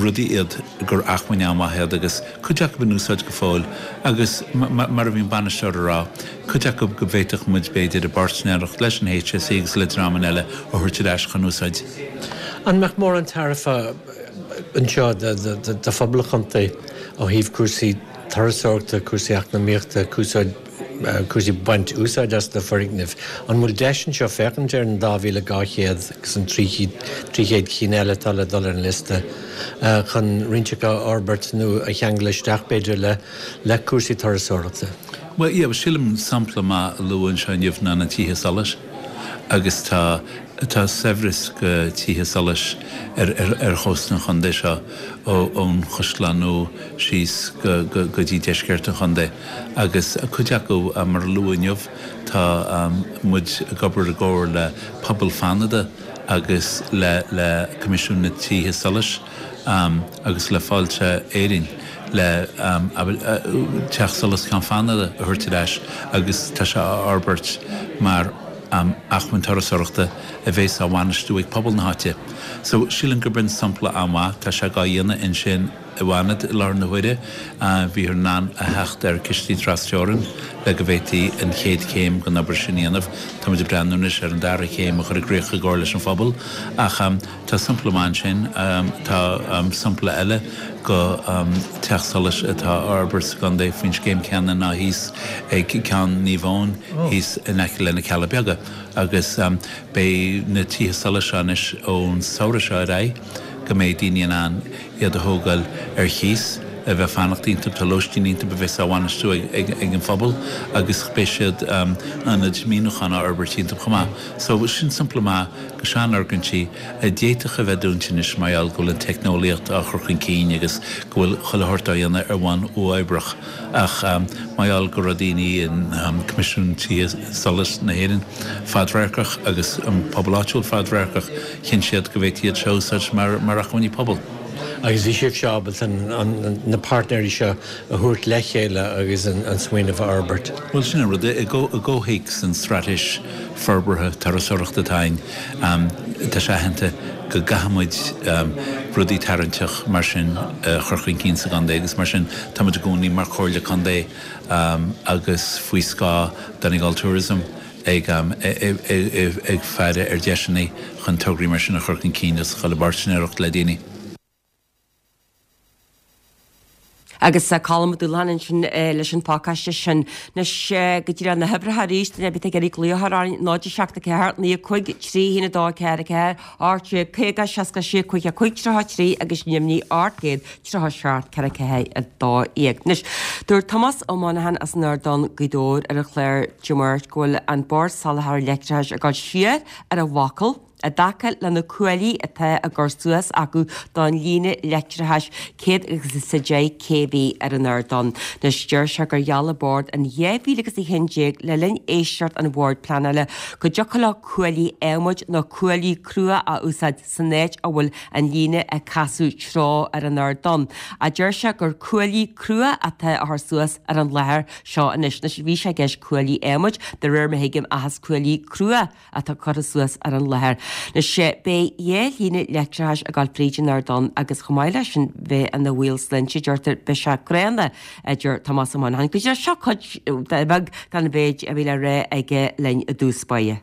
rudaí iad gur acmhainn an-mhaith iad agus cuid acu in úsáid go fóill agus mar a bhí an bainisteoir a rá, cuid acu go bhféadfadh muid b'fhéidir i bpáirtnéireacht leis an HSE agus le dreamanna eile a thabhairt ar ais chun úsáid. An mbeadh mórán tairbhe anseo do phobal an chontae ó thaobh cúrsaí turasóireachta, cúrsaí eacnamaíochta, cúrsaí baint úsáid as na foirgnimh? An bhfuil deis anseo féachaint ar an dá mhíle dhá chéad agus an trí chéad cinn eile atá le dul ar an liosta chun roinnt acu a fhorbairt nó a cheangal isteach b'fhéidir le cúrsaí turasóireachta? Bhuel, yeah, sílim sampla maith a luadh anseo inniu ná na tithe solais agus tá Tá saibhreas de tithe solais ar chósta an chontae seo, ón Chaisleán Nua síos go dtí deisceart an chontae, agus cuid acu, mar a luadh inniu, tá muid ag obair i gcomhar le Pobal Fánada agus le Coimisiún na dTithe Solais agus le Fáilte Éireann le Teach Solais Cheann Fánada a thabhairt ar ais agus tá sé á fhorbairt mar acmhainn turasóireachta a bheas á bhainistiú ag pobal na háite. So sílim gurb in sampla an-mhaith, tá sé á dhéanamh ansin i bhFanad i láthair na huaire, bhíothar in ann a theacht ar cistí trasteorann le go bhféadfaí an chéad chéim den obair sin a dhéanamh. Táimid ag breathnú anois ar an dara chéim a chur i gcrích i gcomhar leis an phobal ach tá sampla maith ansin. Tá sampla eile de teach solais atá á fhorbairt sa gcontae faoin scéim chéanna ná thíos ag Ceann Naomh Eoin thíos in aice le na Cealla Beaga agus beidh na tithe solais seo anois ón samhradh seo ar aghaidh go mbeidh daoine in ann iad a thógáil ar chíos, a bheith fanacht iontu, tá lóistín iontu a bheas á bhainistiú ag an phobal agus beidh siad ionaid míniúcháin á fhorbairt iontu chomh maith. So sin sampla maith de seanfhoirgintí a d'fhéadfadh a bheith dúnta anois mar gheall go bhfuil an teicneolaíocht á chur chun cinn agus go bhfuil chuile shórt á dhéanamh ar bhonn uathoibreach ach mar gheall go raibh daoine in Coimisiún Tithe Solais na hÉireann fadradharcach agus an pobal áitiúil fadradharcach, chinn siad go bhféadfaí iad seo a úsáid mar acmhainní pobail. Agus bhí sibhse ábalta na páirtnéirí seo a thabhairt le chéile agus an smaoineamh a fhorbairt. Bhuel, sin an rud, i gcomhthéacs an straitéis forbartha turasóireachta atá againn, tá sé aitheanta go gcaithfidh muid rudaí tarraingteach mar sin a chur chun cinn sa gcontae agus mar sin táimid i gcónaí mar Chomhairle Contae agus faoi scáth Donegal Tourism ag ag faire ar dheiseanna chun tograí mar sin a chur chun cinn agus a chur i bpáirtnéireacht le daoine. Agus Colm Ó Dúlacháin ansin leis an phacáiste sin. Anois go dtí na huimhreacha arís, duine ar bith ag iarraidh glaoch a chur orainn, náid a seacht a ceathair, naoi a cúig, trí haon a dó a ceathair a ceathair, ocht déag caoga, seasca a sé, caoga a cúig, tríocha a trí agus Nimhní ocht gcéad, tríocha a seacht, ceithre ceathair a dó dhéag. Anois, dúirt Tomás Ó Monacháin as an Ardán, Gaoth Dobhair ar an chlár Dé Máirt go bhfuil an Bord Soláthair Leictreachais ag dul siar ar a bhfocal, i dtaca le na cuaillí atá á gcur suas acu don líne leictreachais céad agus a deich K V ar an Ardán. Anois deir sé gur gheall an Bord in dhá mhíle agus a haon déag le linn éisteacht an Bhoird Pleanála go dtiocfadh leo cuaillí adhmaid nó cuaillí crua a úsáid san áit a bhfuil an líne ag casadh treo ar an Ardán. Ach deir sé gur cuaillí crua atá á chur suas ar an láthair seo anois. Anois bhí sé i gceist cuaillí adhmaid, de réir mar a thuigim, ach is cuaillí crua atá curtha suas ar an láthair. Anois beidh dhá líne leictreachais ag dul fríd an Ardán agus chomh maith leis sin bheith ina bhaol sláinte, deirtear, beidh sé gránna, a deir Tomás Ó Monacháin. Go dtí seo cuid bheag den mhéid a bhí le rá aige linn i dtús báire.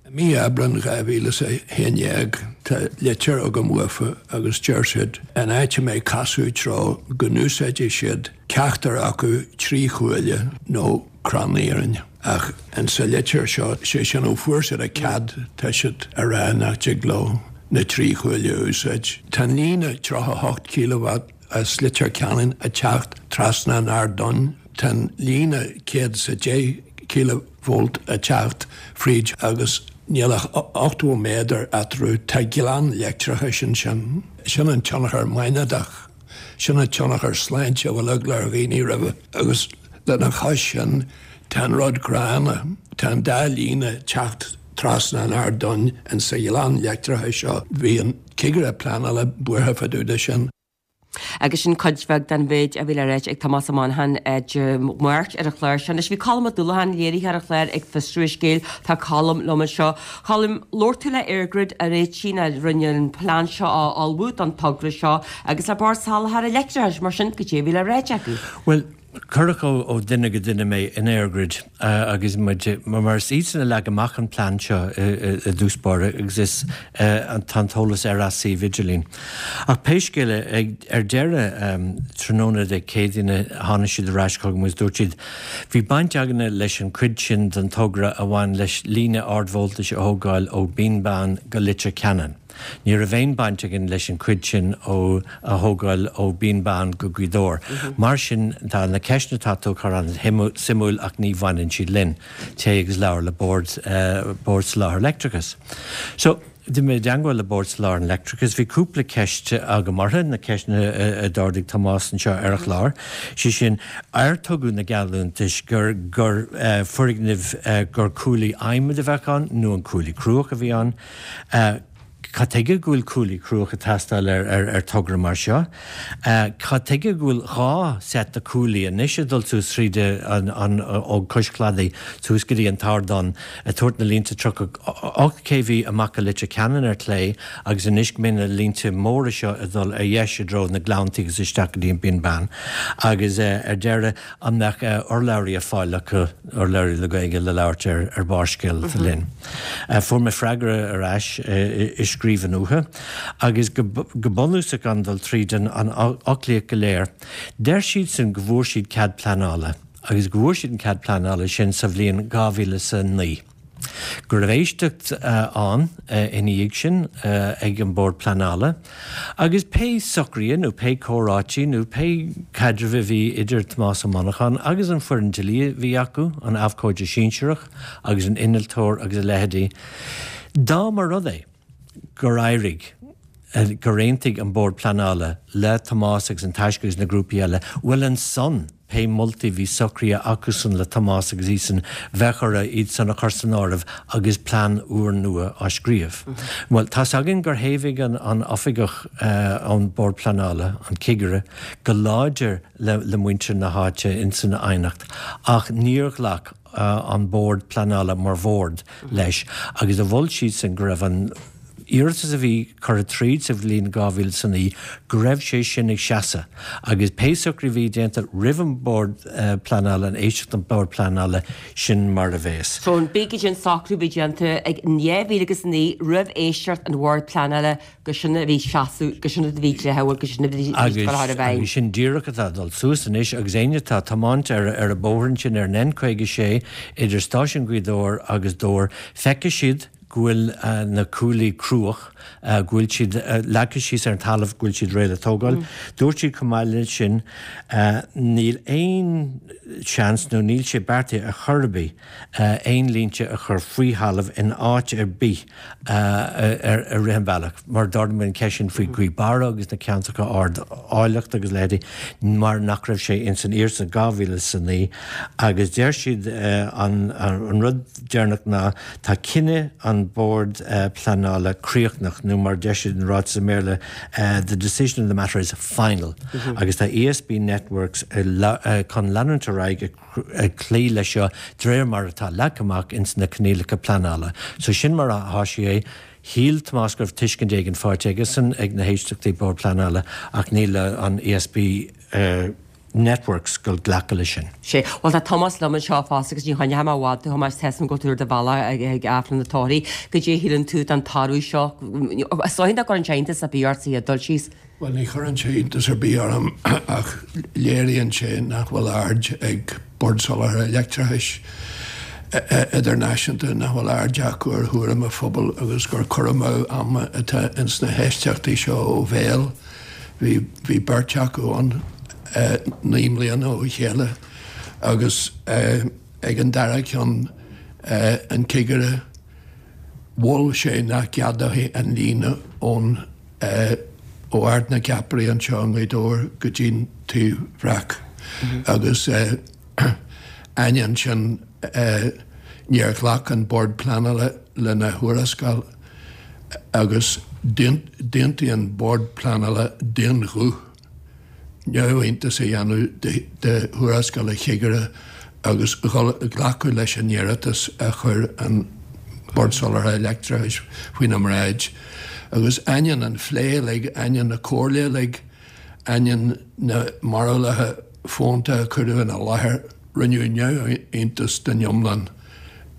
I mí Aibreán dhá mhíle is a haon déag tá litir agam uafa agus deir siad an áit a mbeidh casadh treo go n-úsáidfidh siad ceachtar acu trí chuaille nó crann iarainn. Ach in sa litir seo, sé sin ó fuair siad a cead, tá siad a rá nach dtig leo na trí chuaille a úsáid. Tá an líne tríocha a hocht kíleavat as Leitir Ceanainn ag teacht trasna an Ardáin. Tá an líne céad is a deich kíleavolt ag teacht fríd agus níl ach ochtó méadar eatarthu. Tá gleann leictreachais ansin. Sin an tionchar maighnéadach. Sin an tionchar sláinte a bhfuil eagla ar dhaoine roimhe. Agus lena chois sin, tá an rud gránna, tá an dá líne ag teacht trasna an Ardáin in sa ghleann leictreachais seo. Bhí an cigire pleanála buartha fá dtaobh de sin. Agus sin cuid bheag den mhéid a bhí le ráit ag Tomás Ó Monacháin Dé Máirt ar an chlár seo. Anois bhí Colm Ó Dúlacháin, léiritheoir an chláir, ag fiosrú an scéil. Tá Colm liom anseo. Colm, labhair tú le EirGrid a réitigh a rinne an plean seo a ullmhú don togra seo agus le Bord Soláthair Leictreachais, mar sin goidé a bhí le ráit acu. Bhuel, cuireadh ó dhuine go duine mé in EirGrid agus muid, mar is iadsan a leag amach an plean seo i dtús báire agus is tá an t-eolas ar a suíomh idirlín. Ach pé scéal é, ar deireadh tráthnóna Dé Céadaoine tháinig siad ar ais chugam agus dúirt siad, Bhí baint againne leis an chuid sin den togra a bhain leis líne ardvoltais a thógáil ó Bhinn Bán go Leitir Ceanainn. Ní raibh aon baint againn leis an chuid sin ó a thógáil ó Bhinn Bán go Gaoth Dobhair. Mar sin, tá na ceisteanna atá tú a chur an-suimiúil ach ní bhaineann siad linn. Téigh agus labhair le Bord Bord Soláthair Leictreachais. So, d'imigh mé i dteangmháil le Bord Soláthair an Leictreachais. Bhí cúpla ceist agam orthu, na ceisteanna a d'ardaigh Tomás anseo ar an chlár. Sé sin, ar tugadh na geallúntais gur gur foirgnimh gur cuaillí adhmaid a bheadh ann nó an cuaillí cruach a bhí ann? Cad chuige go bhfuil cuaillí cruach ag teastáil ar, ar, ar togra mar seo? Cad chuige go bhfuil dhá set de cuaillí anois ag dul suas tríd an, an, ó cois cladaigh suas go dtí an t-ardán ag tabhairt na línte tríocha ocht K V amach go Leitir Ceanainn ar clé agus anois go mbeidh na línte móra seo ag dul ar dheis i dtreo na Gleanntaí agus isteach go dtí an Binn Bán agus ar deireadh an mbeadh urlabhraí ar fáil acu, urlabhraí le Gaeilge le labhairt ar, ar Barrscéal linn. Fuair mé freagra ar ais i scríbhinn uathu agus go, go bunúsach gan dul tríd an, an fhoclaíocht go léir. Deir siadsan go bhfuair siad cead pleanála agus go bhfuair siad an cead pleanála sin sa bhliain dhá mhíle is a naoi. Go raibh éisteacht ann ina dhiaidh sin ag an Bord Pleanála agus pé socruithe nó pé comhráití nó pé caidreamh a bhí idir Tomás Ó Monacháin agus an foireann dlí a bhí acu, an abhcóide sinsearach agus an innealtóir agus a leithéidí, dá mba rud é gur éirigh, gur aontaigh an Bord Pleanála le Tomás agus an Taisce agus na grúpaí eile, bhuel ansan pé moltaí bhí socraithe acusan le Tomás agus iadsan, bheadh orthu iad san a chur san áireamh agus plean úrnua á scríobh. Bhuel, tá's againn gur thaobhaigh an an oifigeach ón Bord Pleanála, an cigire, go láidir le le muintir na háite insan aighneacht ach níor ghlac an Bord Pleanála mar bhord leis agus a mhol siadsan go raibh an iarratas a bhí curtha tríd sa bhliain dhá mhíle is a naoi, go raibh sé sin ag seasamh agus pé socrú a bhí déanta roimh an Bord Pleanála, an éisteacht an Bord Pleanála, sin mar a bheas. So b'fhéidir sin socrú a bhí déanta ag dhá mhíle agus a naoi roimh éisteacht an Bhoird Pleanála gur sin a bhí seasamh, gur sin a bhí dlíthiúil, gur sin a bhí Agus ag dul i bhfeidhm. agus sin díreach atá ag dul suas anois agus éinne atá ag tiomáint ar ar an bóthar ansin ar an N caoga sé idir Stáisiún Ghaoth Dobhair agus Dobhar, feicfidh siad go bhfuil na cuaillí cruach, go bhfuil siad leagtha síos ar an talamh, go bhfuil siad réidh le tógáil. Dúirt siad chomh maith leis sin, níl aon seans nó níl sé beartaithe ar chor ar bith aon línte a chur faoi thalamh in áit ar bith ar rith an bhealach, mar d'ardaigh muid an cheist sin faoi Ghaoth Beara agus na ceantracha ard áilleachta agus leithéidí, mar nach raibh sé ins an iarratas in dhá mhíle is a naoi agus deir siad an rud deireanach ná tá cinneadh an Bord Pleanála críochnach nó mar deir siad in ráiteas i mBéarla the decision of the matter is final agus tá E S B Networks chun leanúint ar aghaidh ag cloí leis seo de réir mar atá leagtha amach ins na coinníollacha pleanála. So sin mar atá sé é. Shíl Tomás go raibh tuiscint éigin faighte aigesan ag na héisteachtaí Bord Pleanála ach níl an E S B Networks ag glacadh leis sin. Sé. Bhuel tá Tomás liom anseo fosta agus ní choinneoidh mé i bhfad tú Thomáis tá a fhios agam go bhfuil tú ar do bhealach ag ag Aifreann na Tórraimh. Goidé a shíleann tú den toradh seo? Is dóigh nach gcuireann sé iontas ar bith ort é ag dul síos. Bhuel ní chuireann sé iontas ar bith orm ach léiríonn sé nach bhfuil aird ag Bord Soláthair Leictreachais Idirnáisiúnta, nach bhfuil aird acu ar thuairim an phobail agus gur cur amú ama atá ins na héisteachtaí seo ó bhéal. Bhí bhí beirt acu ann naoi mbliana ó chéile agus ag an dara ceann an cigire mhol sé nach gceadófaí an líne ón ó Ard na gCeapairí anseo i nGaoth Dobhair go dtí'n Taobh Bhreac agus ainneoin sin níor ghlac an Bord Pleanála lena thuarascáil agus d'aontaigh an Bord Pleanála d'aon ghuth neamhiontas a dhéanamh de thuarascáil an chigire agus glacadh leis an iarratas a chuir an Bord Soláthair Leictreachais faoina mbráid. Agus ainneoin an phlé uilig, ainneoin na comhairle uilig, ainneoin na mbarúlacha fónta a cuireadh ina láthair, rinneadh neamhiontas den iomlán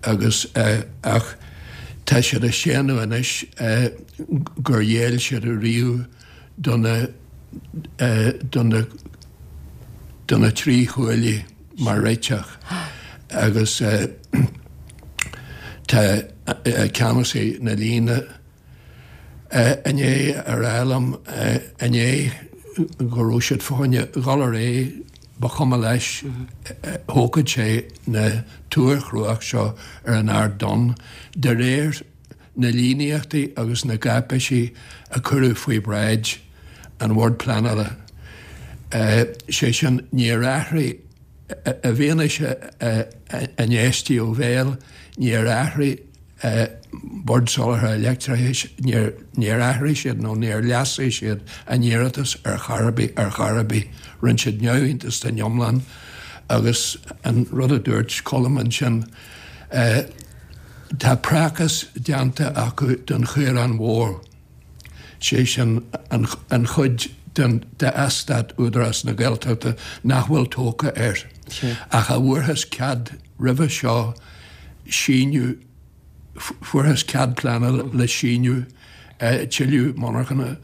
agus ach tá siad ag séanadh anois gur ghéill siad riamh do na do na do na trí chuaillí mar réiteach agus tá ceannasaí na líne i ndiaidh a rá liom inné go raibh siad fá choinne dhul ar aghaidh, ba chuma leis, thógfadh sé na túir chruach seo ar an Ard Donn de réir na líníochtaí agus na gcáipéisí a cuireadh faoi bhráid an Bhoird Pleanála. Sé sin, níor athraigh, i bhfianaise a n-éistí ó bhéal, níor athraigh Bord Soláthair Leictreachais, níor athraigh siad nó níor leasaigh siad a n-iarratas ar chor ar bith ar chor ar bith. Rinne siad neamhiontas den iomlán agus an rud a dúirt Colm ansin, tá praghas déanta acu don Chaorán Mhór, sé sin an chuid den d'eastát Údarás na Gaeltachta nach bhfuil tógtha air ach a bhfuarthas cead roimhe seo síneadh, fuarthas cead pleanála le síneadh tuilleadh monarchana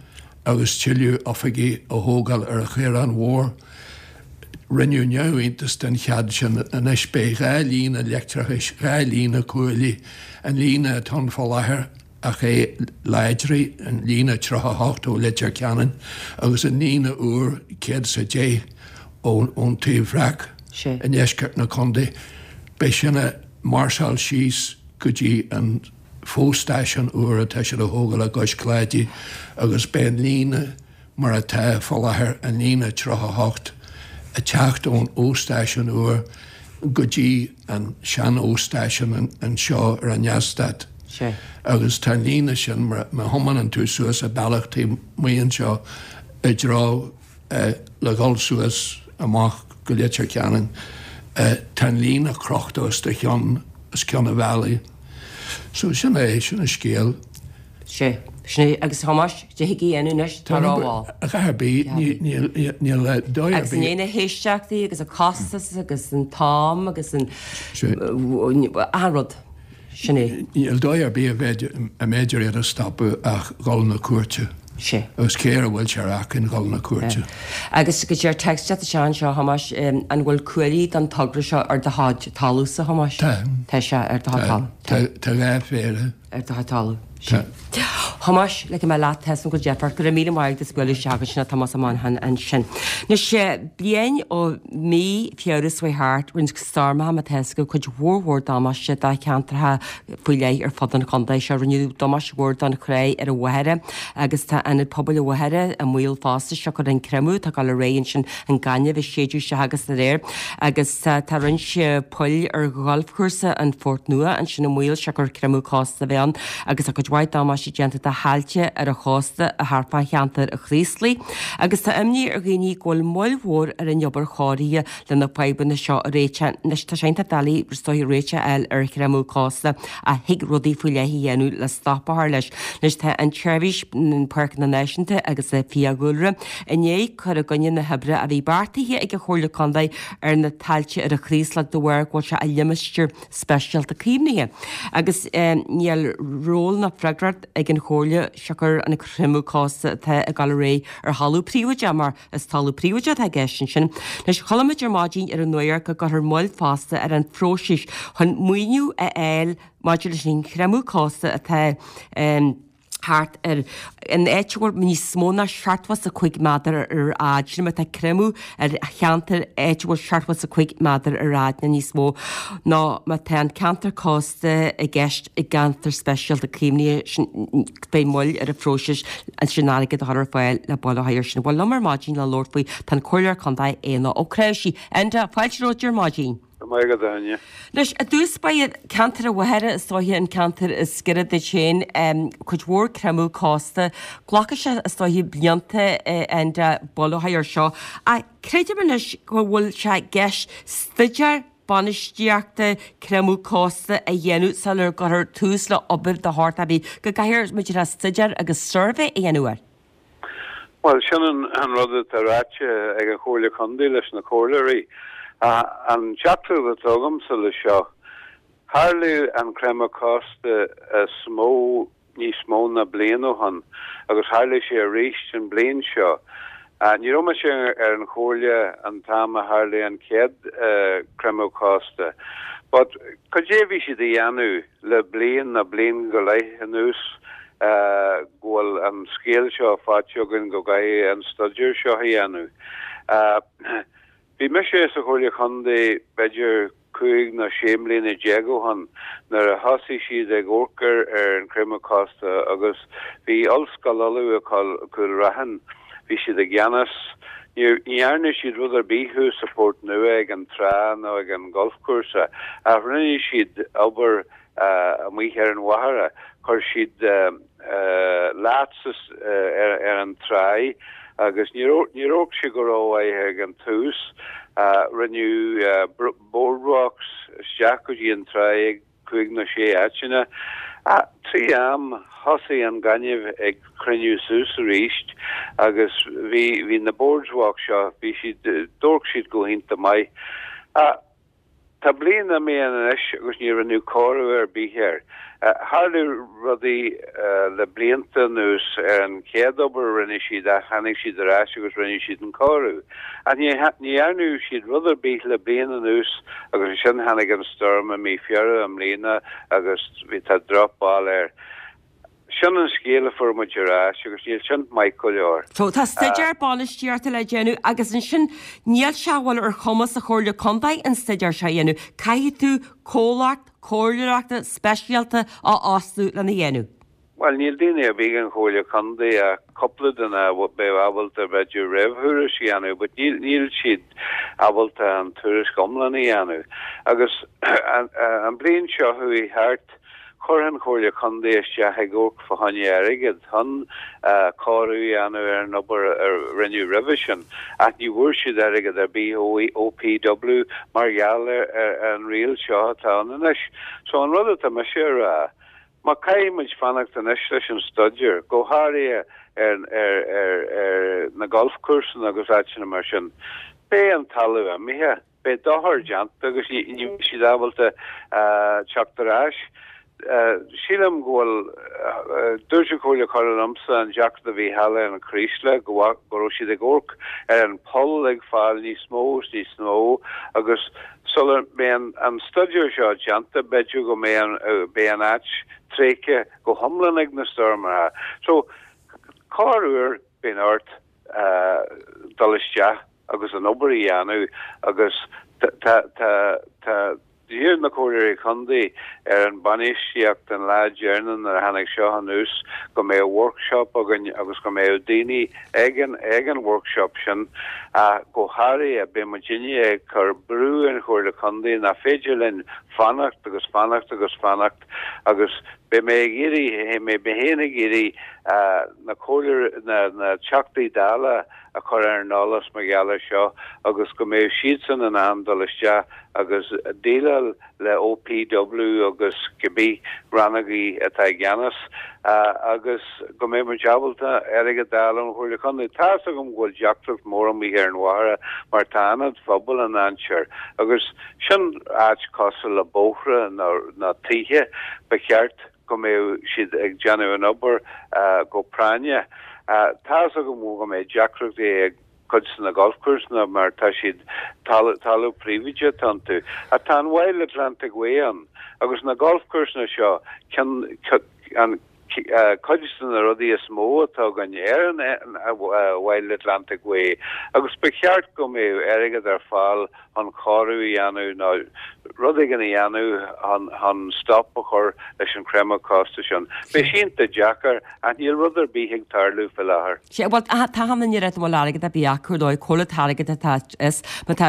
agus tuilleadh oifigí a thógáil ar an Chaorán Mhór. Rinneadh neamhiontas den chead sin. Anois beidh dhá líne leictreachais, dhá líne cuaillí, an líne atá ann fá láthair ach é láidriú, an líne tríocha a hocht ó Leitir Ceanainn agus an líne úr céad is a deich ón Taobh Bhreac i ndeisceart na contae. Beidh sin ag máirseáil síos go dtí an fo-stáisiún úr atá siad a thógáil i gCois Cláidí agus beidh an líne mar atá fá láthair, an líne tríocha a hocht, ag teacht ón fho-stáisiún úr go dtí an sean-fho-stáisiún anseo ar an eastát. Agus tá an líne sin, má thiomáineann tú suas an bealach taobh amuigh anseo i dtreo le dhul suas amach go Leitir Ceanainn, tá an líne crochta os do chionn, os cionn an bhealaigh. So sin é, sin an scéal. Sea, sin é. Agus a Thomáis, cad a thig a dhéanamh anois, tá rómhall. A dhath ar bith, níl dóigh ar Agus bith. i ndiaidh na héisteachtaí agus an costas agus an t-am agus an achan rud, sin é. Níl dóigh ar bith a mb'fhéidir iad a stopadh ach dhul 'na cúirte. Sea. Agus cé air a bhfuil sé ar acmhainn dhul 'na cúirte? Agus go deir text isteach anseo, a Thomáis, an bhfuil cuaillí don togra seo ar do chuid talamhsa, a Thomáis? Tá. Tá sé ar do chuid talamh. Tá. Tá dhá phéire. Ar do chuid talamh. Sea. Thomáis, ligfidh mé leat, tá a fhios agam go bhfuil deifir ort. Go raibh míle maith agat as bualadh isteach ansin, a Thomás Ó Monacháin ansin. Anois, bliain ó mí Feabhra seo chuaigh thart, rinne stoirmeacha, mar atá a fhios agaibh, cuid mhór mhór damáiste do cheantracha faoi leith ar fud an chontae seo. Rinneadh damáiste mhór don chré ar an Mhachaire agus tá Ionad Pobail an Mhachaire i mbaol fosta siocair an creimeadh atá ag dul ar aghaidh ansin, an gaineamh ag séideadh isteach agus dá réir. Agus tá roinnt poill ar ghalfchúrsa an Phort Nua ansin i mbaol siocair creimeadh cósta a bheith ann agus tá cuid mhaith damáiste déanta do thailte ar an chósta thart fá cheantar an Chraoslaigh. Agus tá imní ar dhaoine go bhfuil moill mhór ar an obair chóirithe le na fadhbanna seo a réiteach. Anois tá sé iontach doiligh is dóiche réiteach a fháil ar chreimeadh cósta ach thig rudaí faoi leith a dhéanamh le stop a chur leis. Anois tá an tSeirbhís Páirceanna Náisiúnta agus Fiadhúlra i ndiaidh cur i gcoinne na hoibre a bhí beartaithe ag an Chomhairle Contae ar na tailte ar an Chraoslach de bharr go bhfuil sé i limistéar speisialta caomhnaithe. Agus níl ról ná freagracht ag an Chomhairle siocair an creimeadh cósta atá ag dul ar aghaidh ar thalamh príobháideach mar is talamh príobháideach atá i gceist ansin. Anois, chuala muid ar maidin ar an nuacht go gcuirfear moill fosta ar an phróiseas chun maoiniú a fháil maidir leis an chreimeadh cósta atá thart ar an áit a bhfuil níos mó ná seachtó is a cúig méadar ar fhad, sin má tá creimeadh ar cheantar áit a bhfuil seachtó is a cúig méadar ar fhad nó níos mó, nó má tá an ceantar cósta i gceist i gceantar speisialta caomhnaithe, sin beidh moill ar an phróiseas ansin airgead a chur ar fáil le buille a chur air sin. Bhuel, liom ar maidin le labhairt faoi tá an Comhairleoir Contae Éanna Ó Cnáimhsí. Enda, fáilte romhat ar maidin. Go maith agat, a Áine. Anois, i dtús báire, ceantar an Mhachaire, is dóiche an ceantar is giorra duit féin, cuid mhór creimeadh cósta. Glacfaidh sé, is dóiche, blianta, Enda, buille a chur air seo. Ach creidim anois go bhfuil sé i gceist staidéar bainistíochta creimeadh cósta a dhéanamh sular gcuirfear tús le obair de shórt ar bith, go gcaithfear muid staidéar agus suirbhé a dhéanamh air. Bhuel, sin an rud atá ráite ag an Chomhairle Contae leis na comhairleoirí. An teachtaireacht atá agamsa leis seo, tharla an creimeadh cósta is mó níos mó ná bliain ó shin agus tharla sé arís an bliain seo. Ní raibh mise ar an chomhairle an t-am a tharla an chéad creimeadh cósta but cad é a bhí siad a dhéanamh le bliain nó bliain go leith anuas go bhfuil an scéal seo faighte againn go gcaithfidh an staidéar seo a dhéanamh. Bhí mise sa Chomhairle Chontae b'fhéidir cúig nó sé mbliana déag ó shin nuair a thosaigh siad ag amharc ar an chreimeadh cósta agus bhí Ollscoil Uladh i Cúil Raithin, bhí siad i gceannas. Ní dhearna siad rud ar bith thuas sa Phort Nua ag an trá nó ag an golfchúrsa ach rinne siad obair amuigh ar an mhachaire, chuir siad laths ar an tráigh agus níor amharc sé go rómhaith ag an tús. Rinneadh boardwalks isteach go dtí an tráigh ag cúig nó sé áiteanna. Trí am thosaigh an gaineamh ag cruinniú suas arís agus bhí bhí na boardwalks seo, bhí siad, d'amharc siad go hiontach maith. Tá bliain imithe anois agus ní rinneadh cóiriú ar bith air. Tharla rudaí le blianta anuas ar an chéad obair a rinne siad ach tháinig siad ar ais agus rinne siad an cóiriú. Ach ní dhearna siad rud ar bith le bliain anuas agus ansin tháinig an stoirm i mí Feabhra i mbliana agus bhí tá drochbhail air. Sin an scéal a fuair muid ar ais agus níl sin maith go leor. So tá staidéar bainistíochta le déanamh agus ansin níl sé bhfuil ar chumas an Chomhairle Contae an staidéar seo a dhéanamh. Caithfidh tú comhlacht comhairleoireachta speisialta a fhostú lena dhéanamh. Bhuel, níl daoine ar bith ag an Chomhairle Contae ach cúpla duine a bheadh ábalta b'fhéidir réamhthuairisc a dhéanamh, but níl níl siad ábalta an tuairisc iomlán a dhéanamh. Agus an bliain seo chuaigh thart, Chuir an Chomhairle Contae isteach ag amharc fá choinne airgead chun cóiriú a dhéanamh ar an obair a rinneadh roimhe sin, ach ní bhfuair siad airgead ar bith ó OPW mar gheall ar an riail seo atá ann anois. So an rud atá mise a rá, má caithfidh muid fanacht anois leis an staidéar, go háirithe ar ar na galfchúrsanna agus áiteanna mar sin, beidh an talamh imithe. Beidh dochar déanta agus ní bheidh siad ábalta teacht ar ais. Sílim go bhfuil, dúirt an Comhairle Contae liomsa an deacracht a bhí thall ar an Chraoslach go go raibh siad ag amharc ar an poll ag fáil níos mó is níos mó agus sula mbeidh an staidéar seo déanta b'fhéidir go mbeidh beidh an áit tréigthe go hiomlán ag na stoirmeacha. So corruair bíonn ort dul isteach agus an obair a dhéanamh agus tá tá tá d'iarr na Comhairleoirí Contae ar an bainistíocht an lá deireanach nuair a tháinig seo anuas go mbeadh workshop againn agus go mbeadh daoine ag an ag an workshop sin ach go háirithe beidh muidinne ag cur brú ar an Chomhairle Contae nach féidir linn fanacht agus fanacht agus fanacht agus beidh mé ag iarraidh mé mé féin ag iarraidh na Comhairle na na Teachtaí Dála a chur ar an eolas mar gheall air seo agus go mbeidh siadsan in ann dul isteach agus déileáil le OPW agus cibé rannógaí atá i gceannas agus go mbeidh muid ábalta airgead a fháil ón Chomhairle Contae. Tá fhios agam go bhfuil deacracht mór amuigh ar an Mhachaire mar tá ionad phobail i ndainséar agus sin áit cosúil le bóithre nó tithe ba cheart go mbeadh siad ag déanamh an obair go práinneach. Tá fhios agam go mbeidh deacrachtaí ag cuid de na golfcúrsanna mar tá siad talamh príobháideach atá iontu. Ach tá an Wild Atlantic Way ann agus na golfcúrsanna seo ceann an cuid de na rudaí is mó atá againn ar an Wild Atlantic Way agus ba cheart go mbeadh airgead ar fáil chun cóiriú a dhéanamh nó rud éigin a dhéanamh chun stop a chur leis an creimeadh cósta sin. Beidh sé iontach deacair ach níl rud ar bith ag tarlú faoi láthair. Sea, bhuel, tá an oiread an bhfuil airgead ar bith acu nó cá bhfuil an t-airgead atá is má tá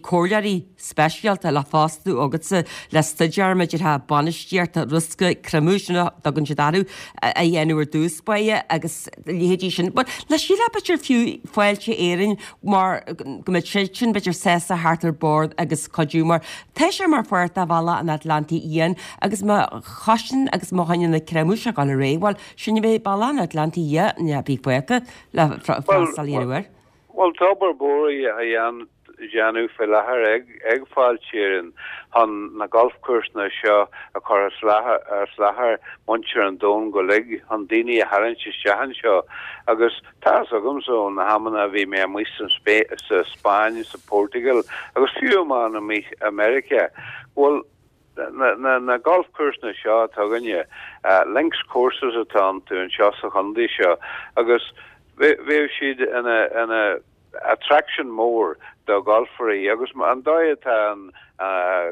comhairleoirí speisialta le fostú agatsa le staidéar maidir le bainistíocht riosca creimeadh sin a dtugann siad orthu a dhéanamh ar dtús báire agus leithéidí sin. But le síle b'fhéidir fiú Fáilte Éireann mar go mbeadh siad sin b'fhéidir sásta theacht ar bord agus cuidiú mar tá sé mar pháirt de Bhealach an Atlantaigh Fhiáin agus má choisceann agus má choinníonn an creimeadh seo ag dul ar aghaidh, bhuel, sin a bheidh Bealach an Atlantaigh Fhiáin a bhí fágtha le freastal a dhéanamh air. Bhuel, tá obair mhór á dhéanamh faoi láthair ag Fáilte Éireann chun na galfchúrsanna seo a chur as láthair muintir an domhain go uilig, chun daoine a tharraingt isteach anseo. Agus tá fhios agamsa ó na hamanna a bhí mé amuigh sa Spáinn, sa Portugal agus fiú amháin amuigh i Meiriceá, go bhfuil na na galfchúrsanna seo atá againne, links courses atá iontu anseo sa chontae seo agus bheadh siad ina ina attraction mór do gholfairí agus an dóigh atá an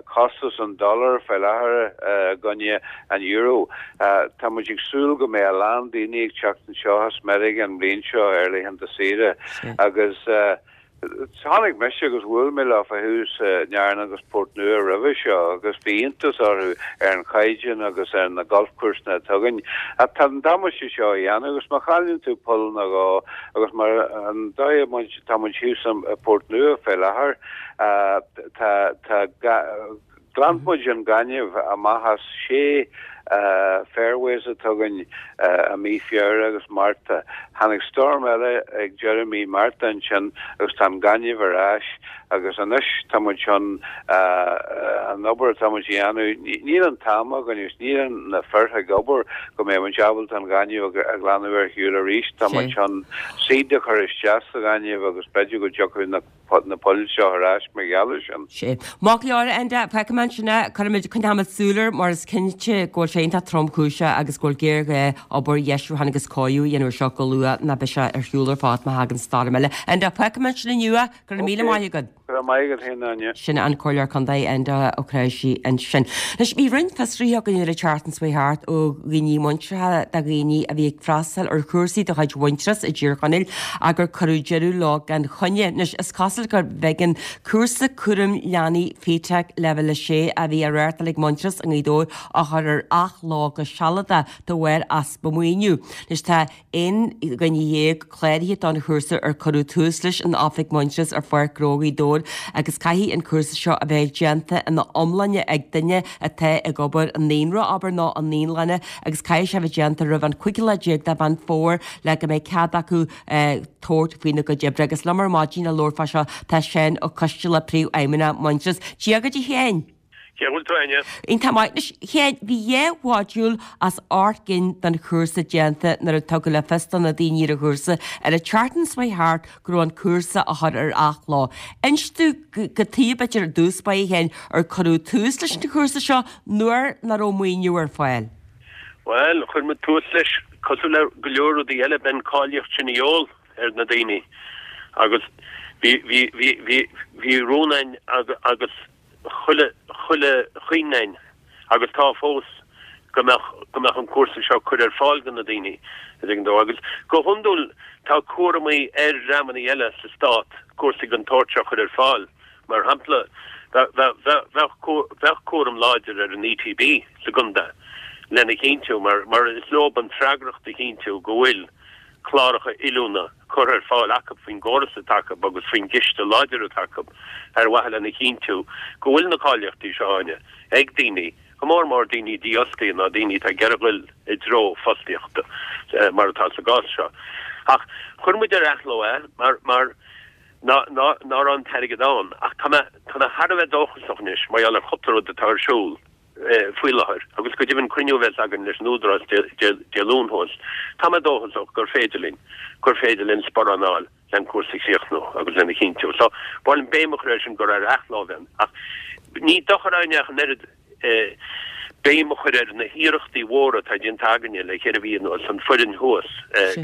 costas an dollar faoi láthair i gcoinne an euro, tá muid ag súil go mbeidh a lán daoine ag teacht anseo as Meiriceá an bhliain seo ar laethanta saoire agus Tháinig mise agus bhuail mé leofa thuas i nDarna agus Port Nua roimhe seo agus bhí iontas orthu ar an chaighdeán agus ar na golfcúrsaí atá againn. Ach tá an damáiste seo á dhéanamh agus má chailleann tú poll nó dhó agus mar an dóigh a muid tá muid thuas i Port Nua fé láthair tá tá Ghlan muid an gaineamh amach as sé fairways atá againn i mí Feabhra agus Márta. Tháinig stoirm eile ag deireadh mí Márta ansin agus tá an gaineamh ar ais agus anois tá muid chun an obair atá muid a dhéanamh, níl an t-am againn agus níl na fir ag obair go mbeidh muid ábalta an gaineamh a ghlanadh ar shiúl arís. Tá muid chun seed a chur isteach sa ghaineamh agus b'fhéidir go dtiocfaidh na na poill seo ar ais mar gheall air sin. Sea. Maith go leor, Enda, feicfidh muid ansin é, cuirfimid, coinneoimid súil air mar is cinnte go bhfuil sé iontach tromchúiseach agus go bhfuil géarghá obair dheisiúcháin agus cóiriú a dhéanamh air seo go luath ná beidh sé ar shiúl ar fad má thagann stoirm eile. Enda, feicfidh muid ansin inniu é, go raibh míle maith agat. Go raibh maith agat féin, Áine. Sin an Comhairleoir Contae Enda Ó Cnáimhsí ansin. Anois, bhí roinnt fiosruithe againn ar an tseachtain seo thart ó dhaoine muinteartha de dhaoine a bhí ag freastal ar chúrsaí de chuid Mhuintearas i dTír Chonaill ach gur cuireadh deireadh leo gan choinne. Anois, is cosúil gur b'éigean cúrsa cúraim leanaí FETAC Leibhéal a sé a bhí á reáchtáil ag Muintearas i nGaoth Dobhair a chur ar athló go sealadach de bharr easpa maoiniú. Anois, tá aon dhuine dhéag cláraithe don chúrsa ar cuireadh tús leis in oifig Muintearas ar Pháirc Ghnó Ghaoth Dobhair agus caithfidh an cúrsa seo a bheith déanta ina iomláine ag duine atá ag obair i naíonra, abair, nó i naíolanna agus caithfidh sé a bheith déanta roimh an cúigiú lá déag de Mheán Fómhair le go mbeidh cead acu tabhairt faoina gcuid oibre. Agus liom ar maidin le labhairt fá seo tá Seán Ó Coisteala, Príomhfheidhmeannach Muintearas. Dia dhuit a Sheáin! Cén chaoi a bhfuil tú, Áine? Iontach maith. Anois, a Sheáin, bhí dhá mhodúl as ocht gcinn den chúrsa déanta nuair a tugadh le fios do na daoine ar an chúrsa ar an tseachtain seo thart go raibh an cúrsa á chur ar athló. Inis domh cad chuige b'fhéidir ar dtús báire, a Sheáin, ar cuireadh tús leis an chúrsa seo nuair nach raibh maoiniú ar fáil. Bhuel, chuir muid tús leis cosúil le go leor rudaí eile, bheadh an cáilíocht sin de dhíobháil ar na daoine agus bhí, bhí, bhí, bhí, bhí rún againn agus chuile, chuile chuing againn agus tá fós go mbeadh, go mbeadh an cúrsa seo curtha ar fáil do na daoine, a dtuigeann tú. Agus go hiondúil tá cúramaí ar dhreamanna eile sa stát cúrsaí den tsórt seo a chur ar fáil. Mar shampla, bheadh, bheadh cúram láidir ar an ETB sa gcontae lena chinntiú, mar, mar is leo an freagracht a chinntiú go bhfuil cláracha oiliúna curtha ar fáil acu faoin gcóras atá acu agus faoin gciste láidir atá acu ar mhaithe lena chinntiú go bhfuil na cáilíochtaí seo Áine ag daoine, go mór mór daoine dífhostaithe nó daoine atá ag iarraidh dul i dtreo fostaíochta mar atá sa gcás seo. Ach chuir muid ar athló é mar mar ná ná ná raibh an t-airgead ann. Ach tá mé tá mé thar a bheith dóchasach anois mar gheall ar chúpla rud atá ar siúl. faoi láthair, agus go deimhin cruinniú a bheas againn leis an Údarás Dé Luain thuas, tá mé dóchasach gur féidir linn, gur féidir linn sparán a fháil le an cúrsa a chríochnú agus lena chinntiú. So, ba mhaith liom béim a chur air sin gur ar athló a bheidh, ach ní dochar Áine ach an oiread béim a chur ar na hiarrachtaí mhóra atá déanta againne le ceithre mhí anuas, an foireann thuas,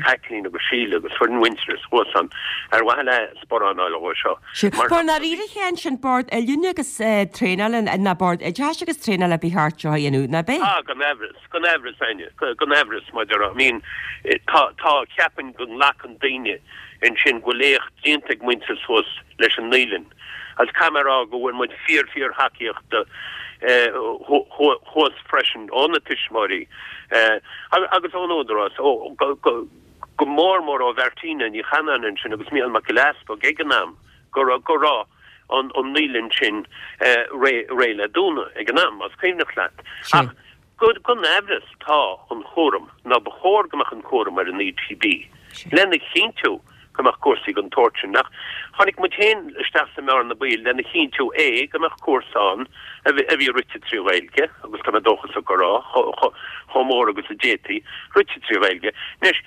Caitlín agus Síle agus foireann Mhuintearas thuas ann, ar mhaithe le sparán a fháil dhó seo. Sea. Mar i ndáiríre a Sheáin, sin Bord Oiliúna agus Traenála, ná Bord Oideachais agus Traenála ba cheart seo a dhéanamh, ná b'é? Ah, gan amhras, gan amhras, Áine, gan amhras, mar a déarfá. I mean, tá, tá, ceapaim go nglacann daoine ansin go bhfuil éacht déanta ag Muintearas thuas leis an naíolann. Agus caithfidh mé a rá go bhfuair muid fíor, fíor thacaíocht thuas freisin ó na tuismitheoirí agus ón Údarás, ó, go, go, go mór mór ó Mhartina Ní Chanáin ansin agus Mícheál Mac Giolla Easpaig ag an am go raibh go raibh an an naíolann sin réidh réidh le dúnadh ag an am, más cuimhneach leat. Ach gan amhras tá an chúram, nó ba chóir go mbeadh an cúram ar an ETB lena chinntiú go mbeadh cúrsaí den tsórt sin. Ach tháinig muid féin isteach sa mbearna baoil lena chinntiú é go mbeadh cúrsa ann a bhí rite trí Ghaeilge, agus tá mé dóchasach go raibh, chomh mór agus a d'fhéadfaí, rite trí Ghaeilge. Anois,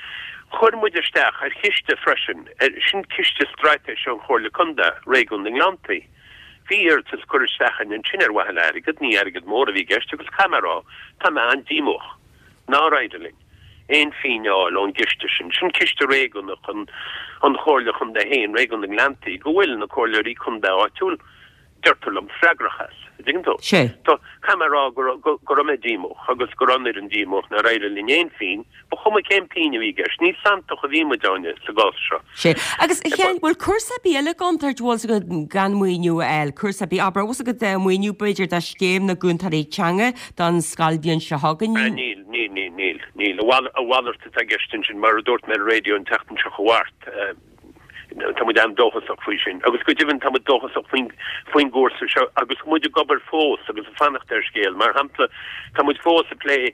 chuir muid isteach ar chiste freisin, sin ciste straitéise an Chomhairle Contae, Réigiún na nGleanntaí. Bhí iarratas curtha isteach againn ansin ar mhaithe le airgead, ní airgead mór a bhí i gceist agus caithfidh mé a rá, tá mé an-díomách nár éirigh linn aon phingin a fháil ón gciste sin. Sin ciste réigiúnach an Chomhairle Chontae féin, Réigiún na nGleanntaí, go bhfuil na comhairleoirí contae áitiúil, deirtear liom, freagrach as. Dtuigeann tú? Sé. So, caithfidh mé a rá go raibh, go raibh mé díomách agus go raibh an fhoireann díomách nár éirigh linn aon phingin, ba chuma cén phingin a bhí i gceist, ní santach a bhí muid ann sa gcás seo. Sé. Agus, a Sheáin, bhfuil cúrsa ar bith eile i gcontúirt, bhfuil 's agat, gan maoiniú a fháil, cúrsa ar bith, abair, bhfuil 's agat maoiniú b'fhéidir do scéim na gcúntóirí teanga don scoilbhliain seo chugainn? Ah, níl, níl, níl, níl, níl. A mhalairt atá i gceist ansin, mar a dúirt mé ar an raidió an tseachtain seo chuaigh thart. Tá muid an-dóchasach faoi sin. Agus go deimhin tá muid dóchasach faoin, faoin gcúrsa seo agus muid ag obair fós agus ag fanacht ar scéal. Mar shampla, tá muid fós ag plé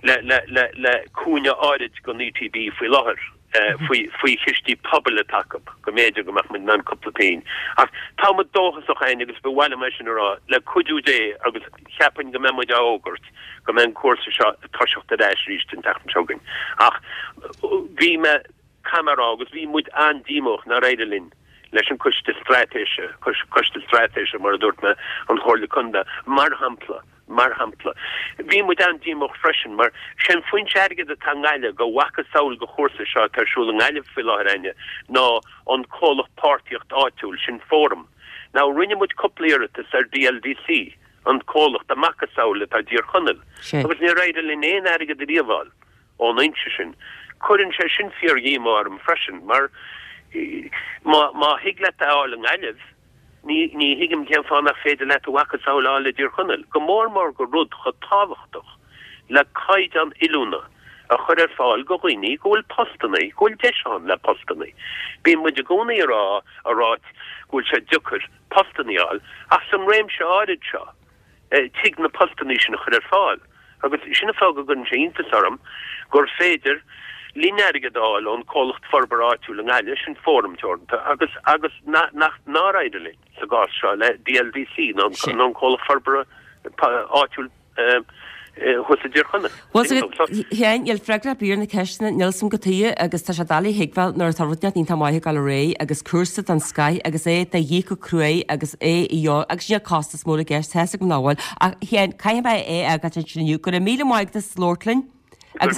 le, le, le, le cúinne áirid den ETB faoi láthair, faoi, faoi chistí pobail atá acu, go mb'fhéidir go mbeadh muid in ann cúpla pingin. Ach tá muid dóchasach féin agus ba mhaith liom é sin a rá, le cuidiú Dé agus cheapfainn go mbeidh muid á fhógairt go mbeidh an cúrsa seo ag toiseacht ar ais arís an tseachtain seo chugainn. Ach bhí mé. Caithfidh mé a rá, agus bhí muid an-díomách nár éirigh linn leis an Coiste Straitéise, Coiste Straitéise mar a dúirt mé, an Chomhairle Contae, mar shampla, mar shampla. Bhí muid an-díomách freisin mar sé an foinse airgid atá i nGaillimh go mhacasamhail go chúrsa seo atá ar siúl i nGaillimh faoi láthair Áine ná an comhlacht páirtíocht áitiúil, sin Fóram. Now rinne muid cúpla iarratas ar DLDC, an comhlacht a macasamhail atá i dTír Chonaill, agus níor éirigh linn aon airgead ariamh a fháil. ón fhoinse sin. Cuireann sé sin fíor-dhíomá orm freisin, mar má, má thig leat a fháil i nGaillimh, ní, ní thuigim cén fáth nach féidir leat a mhacasamhail a fháil i dTír Chonaill, go mór mór go rud chomh tábhachtach le caighdeán oiliúna a chur ar fáil go dhaoine go bhfuil postannaí, go bhfuil deis ann le postannaí. Bíonn muid i gcónaí a rá, a ráit go bhfuil sé deacair postannaí a fháil, ach san réimse áirid seo, tig na postannaí sin a chur ar fáil. Agus sin an fáth go gcuireann sé iontas orm gur féidir linn airgead a fháil ón Comhlacht Forbartha Áitiúil i nGaillimh, sin Fóram Teoranta, agus agus nach nár éirigh linn sa gcás seo le DLDC nó an Comhlacht Forbartha Áitiúil thuas i dTír Chonaill. Bhuel, Sheáin, níl freagra ar bith ar na ceisteanna, níl 's a'm cad chuige agus tá sé doiligh a thuigbheáil nuair atá rud inteacht iontach maith ag dul ar aghaidh agus cúrsa den scoith agus é de dhíth go cruaidh agus é i agus níl costas mór i gceist, tá 's agam nach bhfuil. Ach, a Sheáin, caithfidh mé é a fhágáilt ansin inniu. Go raibh míle maith agat as labhairt linn agus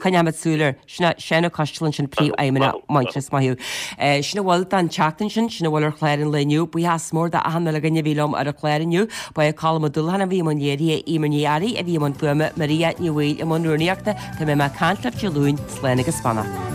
coinneoimid súil air. Sin é Seán Ó Coistealbha ansin, Príomhfheidhmeannach Muintearas. Maith thú. Sin a bhfuil don tseachtain sin, sin a bhfuil ar chlár an lae inniu. Buíochas mór d'achan uile dhuine a bhí liom ar an chlár inniu. Ba é Colm Ó Dúlacháin a bhí i mbun léirithe, Eimear Ní Fhearraigh a bhí i mbun fuaime, Maria Ní Bhaoill i mbun rúnaíochta. Tá mé ag caint libh Dé Luain, slán agus beannacht.